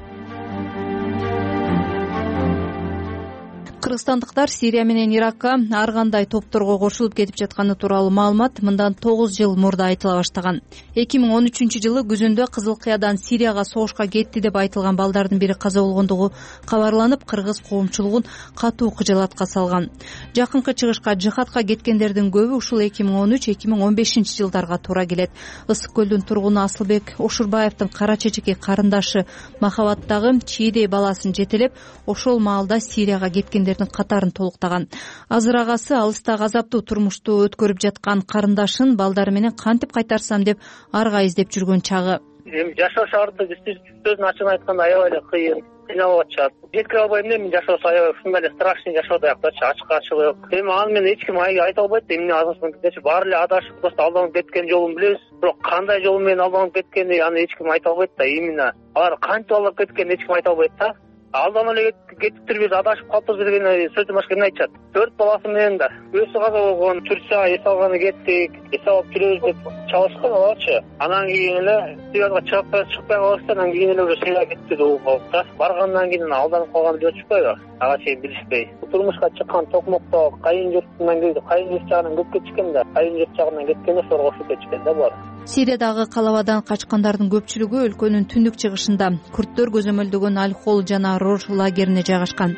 Кыргызстандыктар Сирия менен Иракка ар кандай топторго кошулуп кетип жатканы тууралуу маалымат мындан 9 жыл мурда айтыла баштаган. 2013-жылы күзүндө Кызыл Кыядан Сирияга согушка кетти деп айтылган балдардын бири каза болгондугу кабарланып, кыргыз коомчулугун катуу кыжаалатка салган. Жакынкы чыгышка жихадка кеткендердин көбү ушул 2013-2015 жылдарга туура келет. Ысык көлдүн тургуну Асылбек Ошурбаевдин кара чечеки карындашы Махабаттагы чийдей баласын жетелеп, ошол маалда Сирияга кеткендер катарын толуктаган. Азыр агасы алыстагы азаптуу турмушту өткөрүп жаткан карындашын балдары менен кантип кайтарсам деп арга издеп жүргөн чагы. Эми жашоо шаарында сөзүн ачык айтканда аябай эле кыйын, кыйналып атышат. Жеткире албайм да, мен жашоосу аябай ушундай эле страшный жашоодо аяктачы, ачык-ачык. Эми аны мен эч ким айта албайт. Эмне азыркыча баары эле адашып, просто алданып кеткен жолун билебиз. Бирок кандай жол менен алданып кеткени аны эч ким айта албайт да. Именно алар кантип алдап кеткенин эч ким айта албайт да. Алдан эле кетиптир, бир адашып калыптыр деген сөздөн башка эмне айтышат? 4 баласы менен да өзү каза болгон, Турцияга эс алганы кеттик, эс алып келебиз деп чабышкан аларчы. Анан кийин эле Сирияга чыгып чыкпай калышты, анан кийин эле уже Сирияга кетти деп угуп да. Баргандан кийин алданып калганы деп атышпайбы? Ага чейин билишпей. Турмушка чыккан токмокто кайын журтунан келди, кайын журт жагынан көп кетишкен да, кайын журт жагынан кеткенде ошого кошуп кетишкен да булар. Сириядагы калабадан качкандардын көпчүлүгү өлкөнүн түндүк чыгышында күрттөр көзөмөлдөгөн Аль-Хол жана Рож лагерине жайгашкан.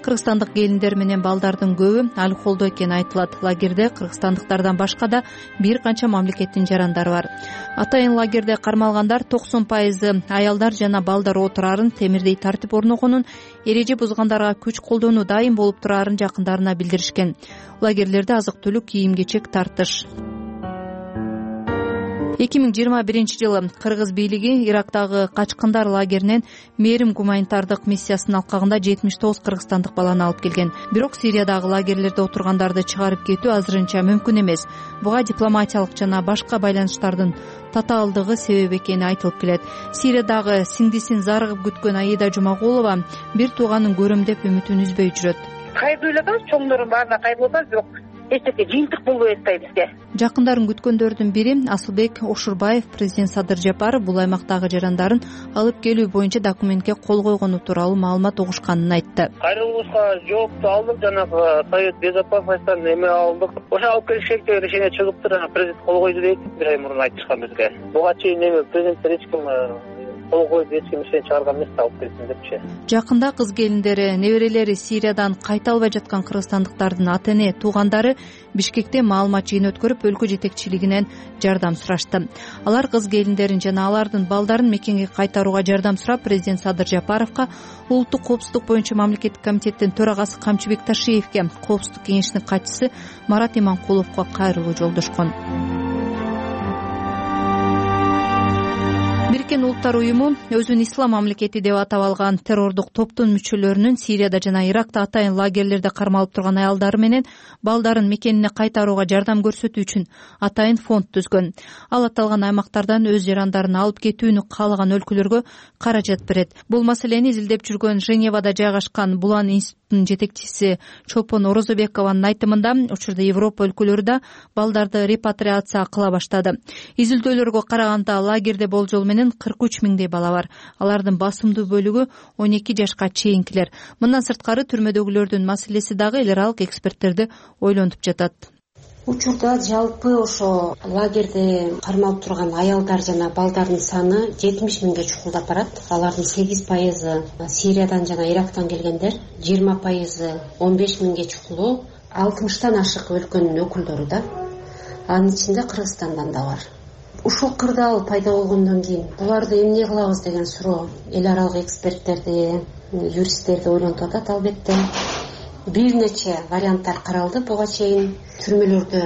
Кыргызстандык келиндер менен балдардын көбү Аль-Холдо экени айтылат. Лагерде кыргызстандыктардан башка да бир канча мамлекеттин жарандары бар. Атайын лагерде кармалгандар 90% аялдар жана балдар отурарын, темирдей тартип орногонун, эреже бузгандарга күч колдонуу дайым болуп турарын жакындарына билдиришкен. Лагерлерде азык-түлүк, кийим-кечек тартыш. 2021-жылы кыргыз бийлиги Ирактагы качкындар лагеринен мээрим гуманитардык миссиясынын алкагында 79 кыргызстандык баланы алып келген. Бирок Сириядагы лагерлерде отургандарды чыгарып кетүү азырынча мүмкүн эмес. Буга дипломатиялык жана башка байланыштардын татаалдыгы себеп экени айтылып келет. Сириядагы сиңдисин зарыгып күткөн Аида Жумагулова бир тууганын көрөм деп үмүтүн үзбөй жүрөт. Кайрылып атабыз, чоңдордун баарына кайрылып атабыз, бирок эчтеке жыйынтык болбой атпайт бизге. Жакындарын күткөндөрдүн бири Асылбек Ошурбаев президент Садыр Жапаров бул аймактагы жарандарын алып келүү боюнча документке кол койгону тууралуу маалымат угушканын айтты. Кайрылышка жоопту алдык, жанагы Совет Безопасностьтан эме алдык. Ошо алып келиш керек деп решение чыгыптыр, президент кол койду дейт. Бир ай мурун айтышкан бизге. Буга чейин эме президенттер эч ким кол коюп эч ким ишен чыгарган эмес, алып келсин депчи. Жакында кыз келиндери, неберелери Сириядан кайта албай жаткан кыргызстандыктардын ата-эне, туугандары Бишкекте маалымат жыйын өткөрүп, өлкө жетекчилигинен жардам сурашты. Алар кыз келиндерин жана алардын балдарын мекенге кайтарууга жардам сурап, президент Садыр Жапаровго, улуттук коопсуздук боюнча мамлекеттик комитеттин төрагасы Камчыбек Ташиевке, коопсуздук кеңешинин катчысы Марат Иманкуловго кайрылуу жолдошкон. Бириккен Улуттар уюму өзүн ислам мамлекети деп атап алган террордук топтун мүчөлөрүнүн Сирияда жана Иракта атайын лагерлерде кармалып турган аялдары менен балдарын мекенине кайтарууга жардам көрсөтүү үчүн атайын фонд түзгөн. Ал аталган аймактардан өз жарандарын алып кетүүнү каалаган өлкөлөргө каражат берет. Бул маселени изилдеп жүргөн Женевада жайгашкан Булан институтунун жетекчиси Чолпон Орозобекованын айтымында, учурда Европа өлкөлөрү да балдарды репатриация кыла баштады. Изилдөөлөргө караганда лагерде болжол менен 43 миңдей бала бар. Алардын басымдуу бөлүгү 12 жашка чейинкилер. Мындан сырткары түрмөдөгүлөрдүн маселеси дагы эл аралык эксперттерди ойлонтуп жатат. Учурда жалпы ошо лагерде кармалып турган аялдар жана балдардын саны 70 миңге чукулдап барат. Алардын 8% Сириядан жана Ирактан келгендер, 20% 15 миңге чукулуу, 60тан ашык өлкөнүн өкүлдөрү да. Анын ичинде Кыргызстандан да бар. Ушул кырдаал пайда болгондон кийин буларды эмне кылабыз деген суроо эл аралык эксперттерди, юристтерди ойлонтуп атат. Албетте бир нече варианттар каралды. Буга чейин түрмөлөрдө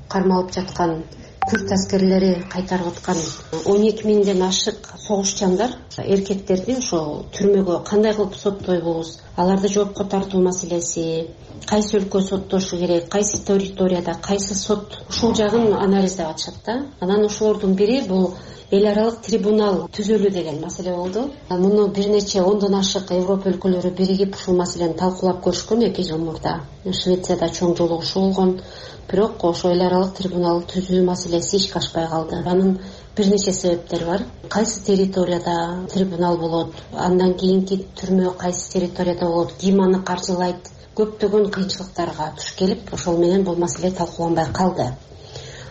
кармалып жаткан күрд аскерлери кайтарып аткан 12 миңден ашык согушчандар, эркектерди ошо түрмөгө кандай кылып соттойбуз, аларды жоопко тартуу маселеси, кайсы өлкө соттошу керек, кайсы территорияда, кайсы сот, ушул жагын анализдеп атышат да. Анан ошолордун бири бул эл аралык трибунал түзөлүү деген маселе болду. Муну бир нече 10дон ашык Европа өлкөлөрү биригип ушул маселени талкуулап көрүшкөн 2 жыл мурда. Швецияда чоң жолугушуу болгон. Бирок ошо эл аралык трибунал түзүү маселеси ишке ашпай калды. Анын бир нече себептери бар. Кайсы территорияда трибунал болот, андан кийинки түрмө кайсы территорияда болот, ким аны каржылайт, көптөгөн кыйынчылыктарга туш келип, ошол менен бул маселе талкууланбай калды.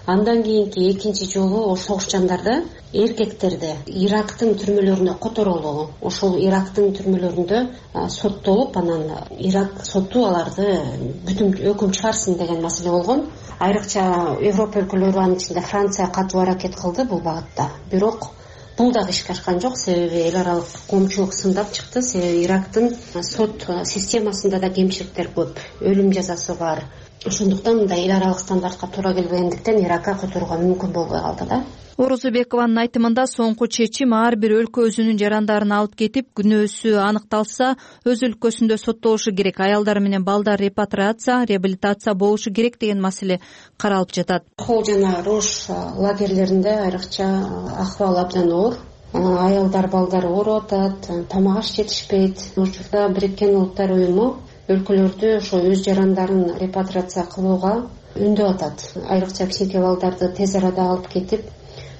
Андан кийинки экинчи жолу согушчандарда эркектерди Ирактын түрмөлөрүнө которолуу, ошол Ирактын түрмөлөрүндө соттолуп, анан Ирак соту аларды бүтүн өкүм чыгарсын деген маселе болгон. Айрыкча Европа өлкөлөрү, анын ичинде Франция катуу аракет кылды бул багытта. Бирок бул дагы ишке ашкан жок, себеби эл аралык коомчулук сындап чыкты. Себеби Ирактын сот системасында да кемчиликтер көп, өлүм жазасы бар. Ошондуктан мындай эл аралык стандартка туура келбегендиктен Иракка которууга мүмкүн болбой калды да. Орозобекованын айтымында соңку чечим ар бир өлкө өзүнүн жарандарын алып кетип, күнөөсү аныкталса, өз өлкөсүндө соттолушу керек. Аялдар менен балдар репатриация, реабилитация болушу керек деген маселе каралып жатат. Хол жана Рош лагерлеринде айрыкча акыбал абдан оор. аялдар балдары ооруп атат, тамак аш жетишпейт. Учурда Бириккен Улуттар уюму өлкөлөрдү ошо өз жарандарын репатриация кылууга үндөп атат. Айрыкча кичинекей балдарды тез арада алып кетип,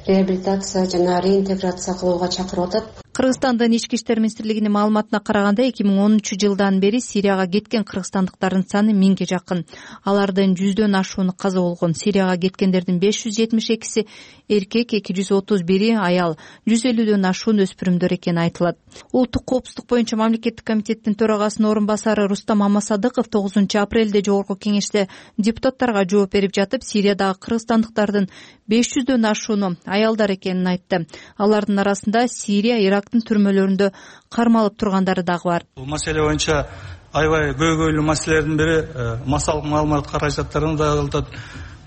реабилитация жана реинтеграция кылууга чакырып атат. Кыргызстандын ички иштер министрлигинин маалыматына караганда 2010-жылдан бери Сирияга кеткен кыргызстандыктардын саны 1000ге жакын. Алардын 100дөн ашууну каза болгон. Сирияга кеткендердин 572си эркек, 231 аял, 150дөн ашуун өспүрүмдөр экени айтылат. Улуттук коопсуздук боюнча мамлекеттик комитеттин төрагасынын орун басары Рустам Мамасадыков 9-апрелде жогорку кеңеште депутаттарга жооп берип жатып, Сириядагы кыргызстандыктардын 500дөн ашууну аялдар экенин айтты. Алардын арасында Сирия, Ирактын түрмөлөрүндө кармалып тургандары дагы бар. Бул маселе боюнча аябай көйгөйлүү маселелердин бири массалык маалымат каражаттарын да кылтат.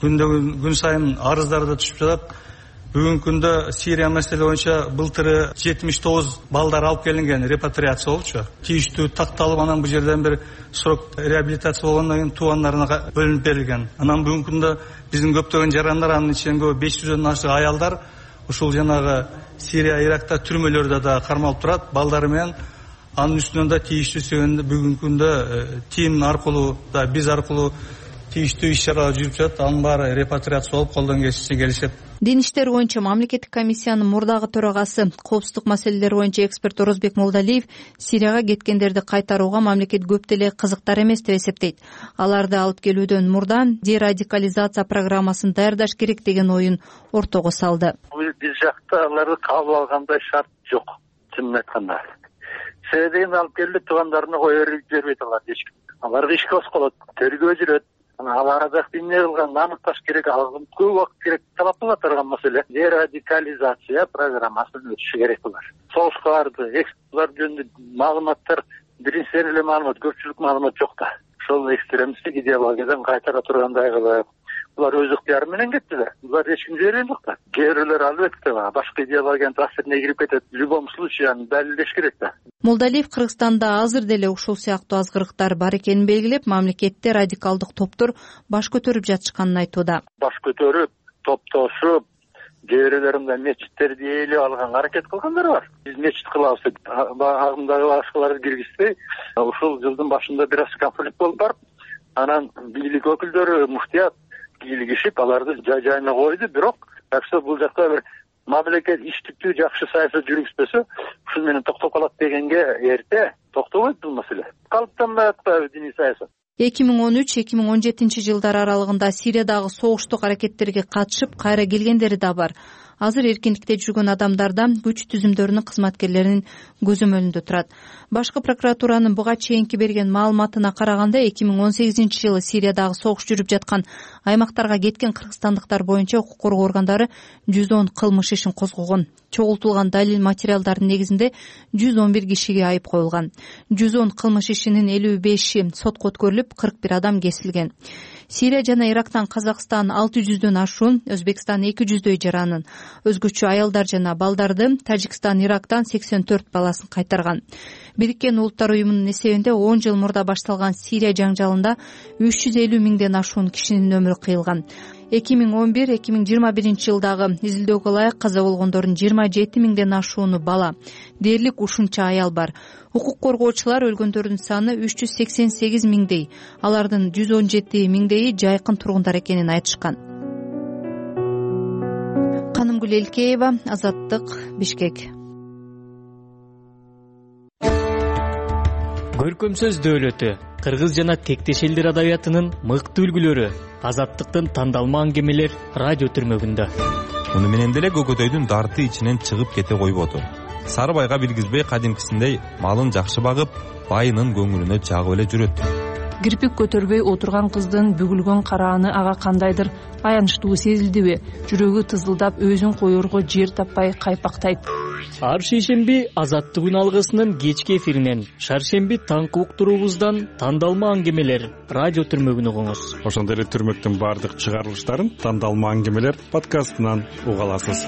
Күн сайын арыздар да түшүп жатат. Бүгүнкү күндө Сирия маселе боюнча былтыры 79 балдар алып келинген, репатриация болчу. Тийиштүү такталып, анан бул жерден бир срок реабилитация болгондон кийин туугандарына бөлүнүп берилген. Анан бүгүнкү күндө биздин көптөгөн жарандар, анын ичинен 500дөн ашык аялдар ушул жанагы Сирия, Иракта түрмөлөрдө да кармалып турат, балдары менен. Анын үстүнөн да тийиштүү сөйгөндө бүгүнкү күндө тим аркылуу да биз аркылуу тийиштүү иш-чаралар жүрүп жатат. Анын баары репатриация болуп, колдон келишет. Дин иштери боюнча мамлекеттик комиссиянын мурдагы төрагасы, коопсуздук маселелери боюнча эксперт Орозбек Молдалиев Сирияга кеткендерди кайтарууга мамлекет көп деле кызыктар эмес деп эсептейт. Аларды алып келүүдөн мурда дерадикализация программасын даярдаш керек деген оюн ортого салды. Биз жакта аларды кабыл алгандай шарт жок, чынын айтканда. Себебин алып келди, туугандарына коюп бербейт алар эч ким. Аларга иш кошколот, тергөө жүрөт. Ал арада эмне кылганын аныкташ керек, ал көп убакыт керек, талап кыла турган маселе. Дерадикализация программасын өтүшү керек булар. Согушка барды, экспертилер жөнүндө маалыматтар, биринчи эле маалымат, көпчүлүк маалымат жок да. Ошол экстремисттик идеологиядан кайтара тургандай кылып, булар өз ыктыяры менен кеттилер. Булар эч ким жиберген жок да. Кээ бирлер албетте башка идеологиянын таасирине кирип кетет. В любом случае аны далилдеш керек да. Молдалиев Кыргызстанда азыр деле ушул сыяктуу азгырыктар бар экенин белгилеп, мамлекетте радикалдык топтор баш көтөрүп жатышканын айтууда. Баш көтөрүп, топтошуп, кээ бирлеринде мечиттерди ээлеп алганга аракет кылгандар бар. Биз мечит кылабыз деп агымдагы башкаларды киргизбей, ушул жылдын башында бир аз конфликт болуп барып, анан бийлик өкүлдөрү, муфтият кийлигишип, аларды жай-жайына койду. Бирок бул жакта бир мамлекет иштиктүү жакшы саясат жүргүзбөсө, ушул менен токтоп калат дегенге эрте токтобойт бул маселе. Калыптанбай атпайбы диний саясат? 2013-2017 жылдар аралыгында Сириядагы согуштук аракеттерге катышып кайра келгендери да бар. Азыр эркиндикте жүргөн адамдардан күч түзүмдөрүнүн кызматкерлеринин көзөмөлүндө турат. Башкы прокуратуранын буга чейинки берген маалыматына караганда 2018-жылы Сириядагы согуш жүрүп жаткан аймактарга кеткен кыргызстандыктар боюнча укук коргоо органдары 110 кылмыш ишин козгогон. Чогултулган далил материалдардын негизинде 111 кишиге айып коюлган. 110 кылмыш ишинин 55и сотко өткөрүлүп, 41 адам кесилген. Сирия жана Ирактан Казакстан 600дөн ашуун, Өзбекстан 200дөй жаранын, өзгөчө аялдар жана балдарды, Тажикстан Ирактан 84 баласын кайтарган. Бириккен Улуттар уюмунун эсебинде 10 жыл мурда башталган Сирия жаңжалында 350 миңден ашуун кишинин өмүрү кыйылган. 2011-2021 жылдагы изилдөөгө ылайык каза болгондордун 27 миңден ашууну бала. Дээрлик ушунча аял бар. Укук коргоочулар өлгөндөрдүн саны 388 миңдей, алардын 117 миңдейи жайкын тургундар экенин айтышкан. Канымгүл Элкеева, Азаттык, Бишкек. Көркөм сөз дөөлөтү, кыргыз жана тектеш элдер адабиятынын мыкты үлгүлөрү, Азаттыктын тандалма аңгемелер радио түрмөгүндө. Муну менен деле көкөтөйдүн дарты ичинен чыгып кете койбоду. Сарыбайга билгизбей кадимкисиндей малын жакшы багып, байынын көңүлүнө жагып эле жүрөт. Кирпик көтөрбөй отурган кыздын бүгүлгөн карааны ага кандайдыр аянычтуу сезилдиби? Жүрөгү тызылдап, өзүн коерго жер таппай кайпактайт. Ар шейшемби Азаттык күн алгысынын кечки эфиринен, шаршемби таңкы уктуруубуздан тандалма аңгемелер радио түрмөгүн угуңуз. Ошондой эле түрмөктүн баардык чыгарылыштарын тандалма аңгемелер подкастынан уга аласыз.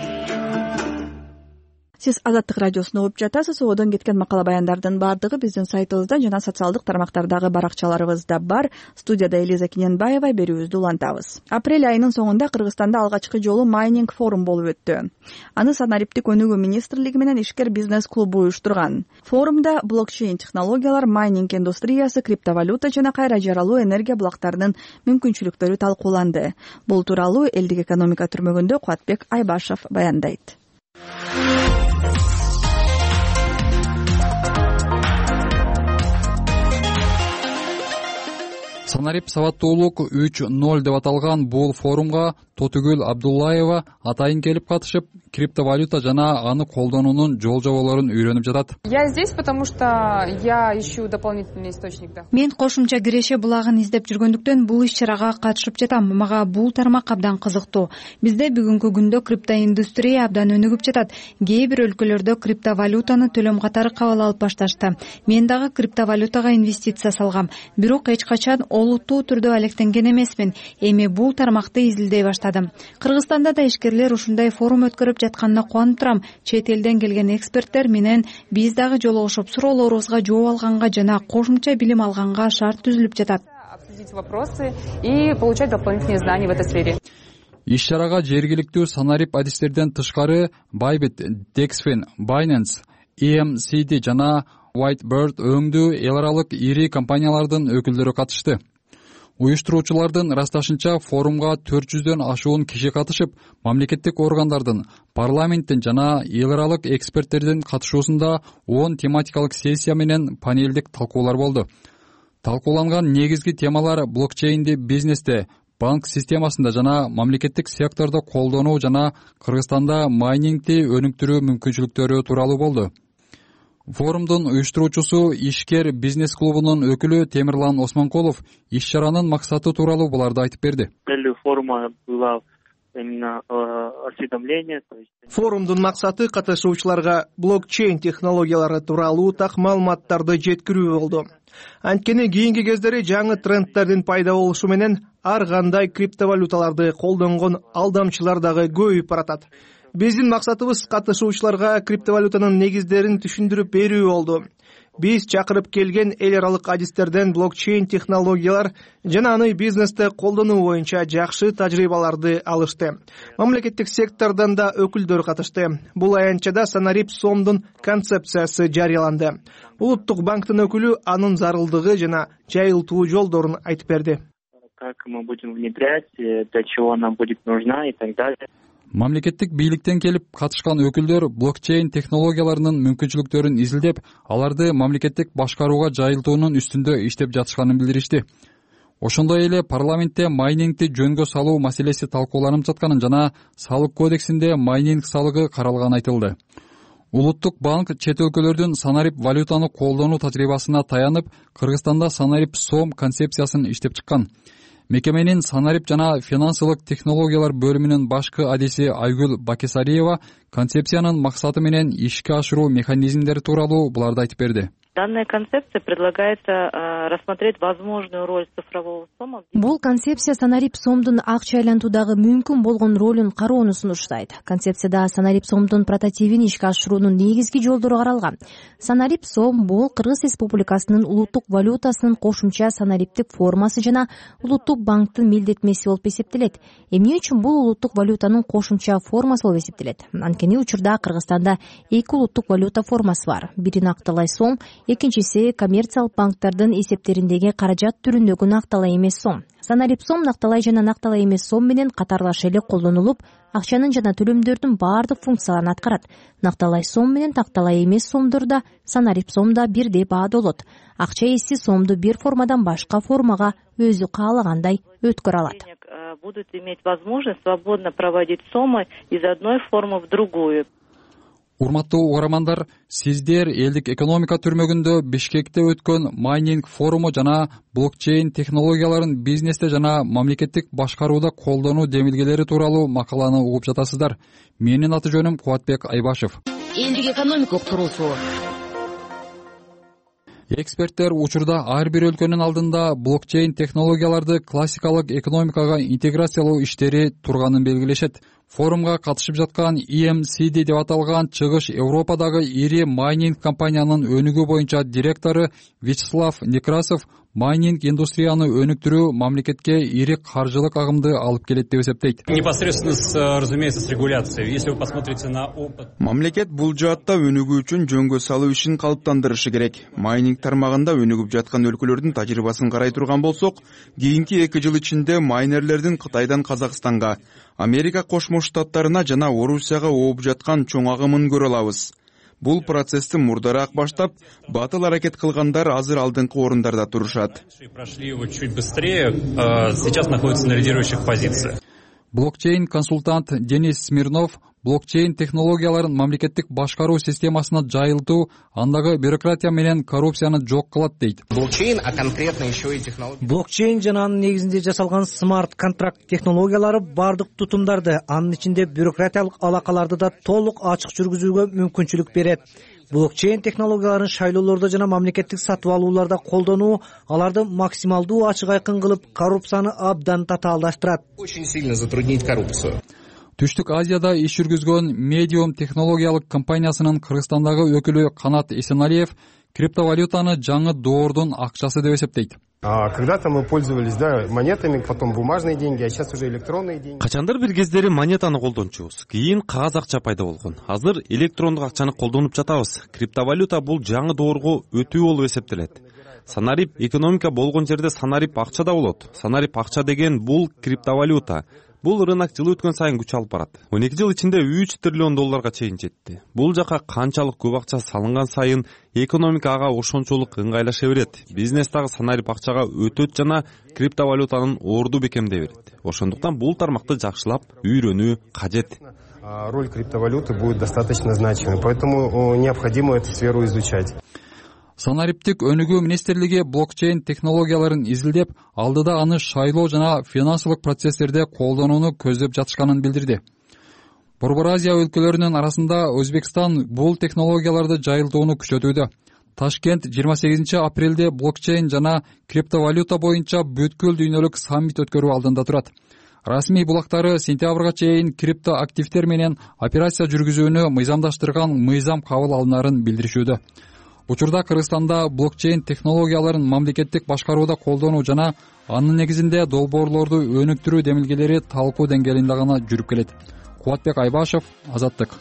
Сиз Азаттык радиосуна угуп жатасыз. Одон кеткен макала баяндардын баардыгы биздин сайтыбызда жана социалдык тармактардагы баракчаларыбызда бар. Студияда Элиза Киненбаева, берүүбүздү улантабыз. Апрель айынын соңунда Кыргызстанда алгачкы жолу майнинг форум болуп өттү. Аны Санариптик өнүгүү министрлиги менен ишкер бизнес клубу уюштурган. Форумда блокчейн технологиялар, майнинг индустриясы, криптовалюта жана кайра жаралуу энергия булактарынын мүмкүнчүлүктөрү талкууланды. Бул тууралуу элдик экономика түрмөгүндө Кубатбек Айбашев баяндайт. Санарип сабаттуулук 3.0 деп аталган бул форумга Тотугүл Абдуллаева атайын келип катышып, криптовалюта жана аны колдонуунун жол-жоболорун үйрөнүп жатат. Я здесь, потому что я ищу дополнительный источник дохода. Мен кошумча киреше булагын издеп жүргөндүктөн бул иш-чарага катышып жатам. Мага бул тармак абдан кызыктуу. Бизде бүгүнкү күндө криптоиндустрия абдан өнүгүп жатат. Кээ бир өлкөлөрдө криптовалютаны төлөм катары кабыл алып башташты. Мен дагы криптовалютага инвестиция салгам. Бирок эч качан олуттуу түрдө алектенген эмесмин. Эми бул тармакты изилдей баштадым. Кыргызстанда да ишкерлер ушундай форум өткөрүп жатканына кубанып турам. Чет элден келген эксперттер менен биз дагы жолугушуп, суроолорубузга жооп алганга жана кошумча билим алганга шарт түзүлүп жатат. Обсудить вопросы и получать дополнительные знания в этой сфере. Иш-чарага жергиликтүү Санарип адистерден тышкары Bybit, Dexfin, Binance, EMCD жана Whitebird өңдүү эл аралык ири компаниялардын өкүлдөрү катышты. Уюштуруучулардын ырасташынча форумга 400дөн ашуун киши катышып, мамлекеттик органдардын, парламенттин жана эл аралык эксперттердин катышуусунда 10 тематикалык сессия менен панелдик талкуулар болду. Талкууланган негизги темалар блокчейнди бизнесте, банк системасында жана мамлекеттик сектордо колдонуу жана Кыргызстанда майнингди өнүктүрүү мүмкүнчүлүктөрү тууралуу болду. Форумдун уюштуруучусу ишкер бизнес клубунун өкүлү Темирлан Осмонкулов иш-чаранын максаты тууралуу буларды айтып берди. Целью форума было именно осведомление. Форумдун максаты катышуучуларга блокчейн технологиялары тууралуу так маалыматтарды жеткирүү болду. Анткени кийинки кездери жаңы трендтердин пайда болушу менен ар кандай криптовалюталарды колдонгон алдамчылар дагы көбөйүп баратат. Биздин максатыбыз катышуучуларга криптовалютанын негиздерин түшүндүрүп берүү болду. Биз чакырып келген эл аралык адистерден блокчейн технологиялар жана аны бизнесте колдонуу боюнча жакшы тажрыйбаларды алышты. Мамлекеттик сектордон да өкүлдөр катышты. Бул аянтчада Санарип сомдун концепциясы жарыяланды. Улуттук банктын өкүлү анын зарылдыгы жана жайылтуу жолдорун айтып берди. Как мы будем внедрять, для чего нам будет нужна и так далее. Мамлекеттик бийликтен келип катышкан өкүлдөр блокчейн технологияларынын мүмкүнчүлүктөрүн изилдеп, аларды мамлекеттик башкарууга жайылтуунун үстүндө иштеп жатышканын билдиришти. Ошондой эле парламентте майнингди жөнгө салуу маселеси талкууланып жатканын жана салык кодексинде майнинг салыгы каралганы айтылды. Улуттук банк чет өлкөлөрдүн Санарип валютаны колдонуу тажрыйбасына таянып, Кыргызстанда Санарип сом концепциясын иштеп чыккан. Мекеменин Санарип жана финансылык технологиялар бөлүмүнүн башкы адиси Айгүл Бакесариева концепциянын максаты менен ишке ашыруу механизмдери тууралуу буларды айтып берди. Данная концепция предлагается рассмотреть возможную роль цифрового сома. Бул концепция Санарип сомдун акча айлантуудагы мүмкүн болгон ролун кароону сунуштайт. Концепцияда Санарип сомдун прототипин ишке ашыруунун негизги жолдору каралган. Санарип сом бул Кыргыз Республикасынын улуттук валютасынын кошумча санариптик формасы жана улуттук банктын милдетмеси болуп эсептелет. Эмне үчүн бул улуттук валютанын кошумча формасы болуп эсептелет? Анткени учурда Кыргызстанда эки улуттук валюта формасы бар. Бири накталай сом, экинчиси коммерциялык банктардын эсептериндеги каражат түрүндөгү накталай эмес сом. Санарип сом накталай жана накталай эмес сом менен катарлаш эле колдонулуп, акчанын жана төлөмдөрдүн баардык функцияларын аткарат. Накталай сом менен накталай эмес сомдорда Санарип сомда бирдей баада болот. Акча ээси сомду бир формадан башка формага өзү каалагандай өткөрө алат. Будут иметь возможность свободно проводить сомы из одной формы в другую. Урматтуу угармандар, сиздер элдик экономика түрмөгүндө Бишкекте өткөн майнинг форуму жана блокчейн технологияларын бизнесте жана мамлекеттик башкарууда колдонуу демилгелери тууралуу макаланы угуп жатасыздар. Менин аты жөнүм Кубатбек Айбашев. Элдик экономика уктуруусу. Эксперттер учурда ар бир өлкөнүн алдында блокчейн технологияларды классикалык экономикага интеграциялоо иштери турганын белгилешет. Форумга катышып жаткан EMCD деп аталган Чыгыш Европадагы ири майнинг компаниянын өнүгүү боюнча директору Вячеслав Некрасов майнинг индустрияны өнүктүрүү мамлекетке ири каржылык агымды алып келет деп эсептейт. Непосредственно, разумеется, с регуляцией. Если вы посмотрите на опыт. Мамлекет бул жаатта өнүгүү үчүн жөнгө салуу ишин калыптандырышы керек. Майнинг тармагында өнүгүп жаткан өлкөлөрдүн тажрыйбасын карай турган болсок, кийинки 2 жыл ичинде майнерлердин Кытайдан Казакстанга, Америка Кошмо Штаттарына жана Орусияга ооп жаткан чоң агымын көрө алабыз. Бул процессти мурдараак баштап, батыл аракет кылгандар азыр алдыңкы орундарда турушат. Прошли его чуть быстрее, сейчас находятся на лидирующих позициях. Блокчейн консультант Денис Смирнов блокчейн технологияларын мамлекеттик башкаруу системасына жайылтуу андагы бюрократия менен коррупцияны жок кылат дейт. Блокчейн, а конкретно еще и технология. Блокчейн жана анын негизинде жасалган смарт контракт технологиялары бардык тутумдарды, анын ичинде бюрократиялык алакаларды да толук ачык жүргүзүүгө мүмкүнчүлүк берет. Блокчейн технологияларын шайлоолордо жана мамлекеттик сатып алууларда колдонуу аларды максималдуу ачык айкын кылып, коррупцияны абдан татаалдаштырат. Очень сильно затруднит коррупцию. Түштүк Азияда иш жүргүзгөн Medium технологиялык компаниясынын Кыргызстандагы өкүлү Канат Эсеналиев криптовалютаны жаңы доордун акчасы деп эсептейт. Когда-то мы пользовались, монетами, потом бумажные деньги, а сейчас уже электронные деньги. Качандар бир кездери монетаны колдончубуз. Кийин кагаз акча пайда болгон. Азыр электрондук акчаны колдонуп жатабыз. Криптовалюта бул жаңы доорго өтүү болуп эсептелет. Санарип экономика болгон жерде санарип акча да болот. Санарип акча деген бул криптовалюта. Бул рынок жыл өткөн сайын күч алып барат. 12 жыл ичинде 3 триллион долларга чейин жетти. Бул жака канчалык көп акча салынган сайын экономика ага ошончолук ыңгайлаша берет. Бизнес дагы санарип акчага өтөт жана криптовалютанын орду бекемдей берет. Ошондуктан бул тармакты жакшылап үйрөнүү кажет. Роль криптовалюты будет достаточно значимой, поэтому необходимо эту сферу изучать. Санариптик өнүгүү министрлиги блокчейн технологияларын изилдеп, алдыда аны шайлоо жана финансылык процесстерде колдонууну көздөп жатышканын билдирди. Борбор Азия өлкөлөрүнүн арасында Өзбекстан бул технологияларды жайылтууну күчөтүүдө. Ташкент 28 апрелде блокчейн жана криптовалюта боюнча бүткүл дүйнөлүк саммит өткөрүү алдында турат. Расмий булактары сентябрга чейин крипто активдер менен операция жүргүзүүнү мыйзамдаштырган мыйзам кабыл алынарын билдиришүүдө. Учурда Кыргызстанда блокчейн технологияларын мамлекеттик башкарууда колдонуу жана анын негизинде долбоорлорду өнүктүрүү демилгелери талкуу деңгээлинде гана жүрүп келет. Кубатбек Айбашев, Азаттык.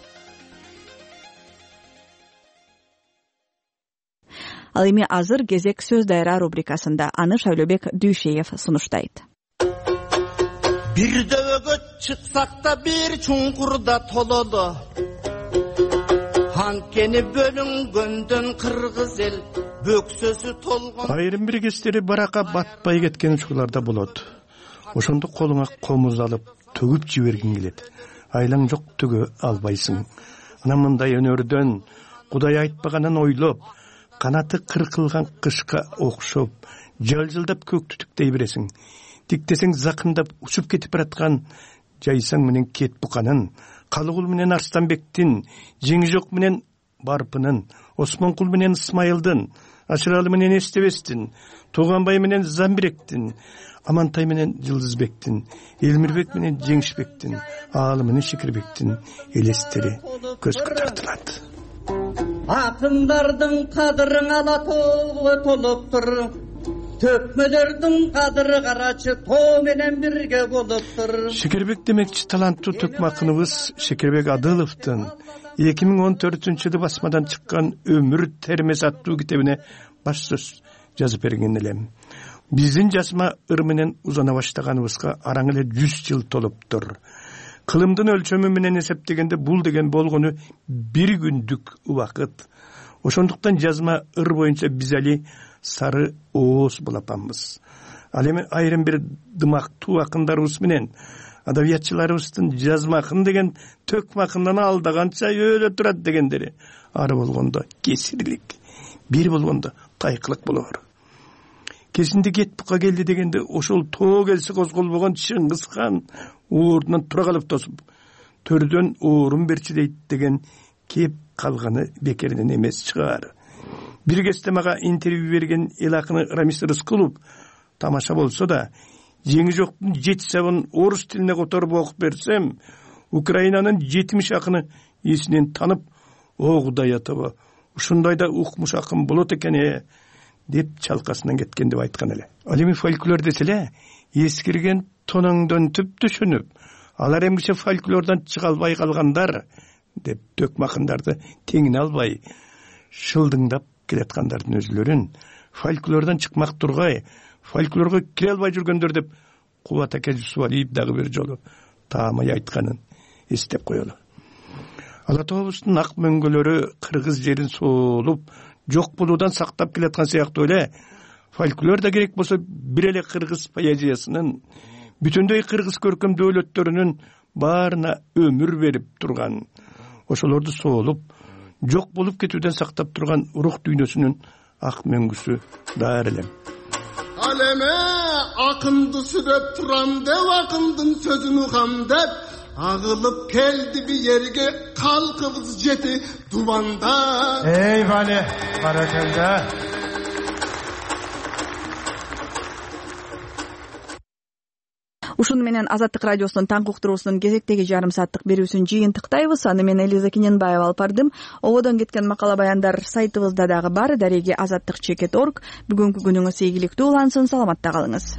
Ал эми азыр кезек сөз дайра рубрикасында. Аны Шайлообек Дүйшеев сунуштайт. Бир дөбөгө чыксак да бир чуңкурда тололу. Анткени бөлүнгөндөн кыргыз эл бөксөсү толгон. Айрым бир кездери баракка батпай кеткен учурларда болот. Ошондо колуңа комуз алып төгүп жибергиң келет. Айлаң жок төгө албайсың. Анан мындай өнөрдөн Кудай айтпаганын ойлоп, канаты кыркылган кышка окшоп, жалжылдап көк түтүктей бересиң. Тиктесең закындап учуп кетип бараткан жайсаң менен кет буканын, Калыгул менен Арстанбектин, Жеңижок менен Барпынын, Осмонкул менен Исмайылдын, Ашыралы менен Эстебестин, Тууганбай менен Замбиректин, Амантай менен Жылдызбектин, Элмирбек менен Жеңишбектин, Аалы менен Шекербектин элестери көзгө тартылат. Акындардын кадырын ала толуптур. Төкмөлөрдүн кадыры карачы тоо менен бирге болуптур. Шекербек демекчи таланттуу төкмө акыныбыз Шекербек Адыловдун 2014-жылы басмадан чыккан Өмүр термес аттуу китебине баш сөз жазып берген элем. Биздин жазма ыр менен узана баштаганыбызга араң эле 100 жыл толуптур. Кылымдын өлчөмү менен эсептегенде бул деген болгону бир күндүк убакыт. Ошондуктан жазма ыр боюнча биз али сары ооз болапанбыз. Ал эми айрым бир дымактуу акындарыбыз менен адабиятчыларыбыздын жазма акын деген төкмө акындан алдаганча өлө турат дегендери ары болгондо кесирлик, бир болгондо тайкылык болор. Кезинде кет бука келди дегенде ошол тоо келсе козголбогон Чыңгыз хан ордунан тура калып тосуп, төрдөн оорун берчи дейт деген кеп калганы бекеринен эмес чыгар. Бир кезде мага интервью берген эл акыны Рамис Рыскулов тамаша болсо да, Жеңижоктун 7 сабын орус тилине которуп окуп берсем, Украинанын 70 акыны эсинен танып, о Кудай атаба, ушундай да укмуш акын болот экен деп чалкасынан кеткен деп айткан эле. Ал эми фольклор деселе, эскирген тонуңдон түп түшүнүп, алар эмгиче фольклордон чыга албай калгандар деп төкмө акындарды теңине албай, шылдыңдап келаткандардын өзүлөрүн фольклордон чыкмак тургай, фольклорго кире албай жүргөндөр деп Кубат аке Жусупалиев дагы бир жолу таамай айтканын эстеп коелу. Ала Тообуздун ак мөңгөлөрү кыргыз жерин соолуп, жок болуудан сактап келаткан сыяктуу эле фольклор да керек болсо бир эле кыргыз поэзиясынын, бүтүндөй кыргыз көркөм дөөлөттөрүнүн баарына өмүр берип турган, ошолорду соолуп, жок болуп кетүүдөн сактап турган рух дүйнөсүнүн ак мөңгүсү даар элем. Ал эме акынды сүрөп турам деп, акындын сөзүн угам деп, агылып келди бир жерге калкыбыз жети дубанда. Эй Вали, баракалда. Ушуну менен Азаттык радиосунун таңкы уктуруусунун кезектеги жарым сааттык берүүсүн жыйынтыктайбыз. Аны мен Элиза Кененбаева алып бардым. Ободон кеткен макала баяндар сайтыбызда дагы бар. Дареги azattik.org. Бүгүнкү күнүңүз ийгиликтүү улансын. Саламатта калыңыз.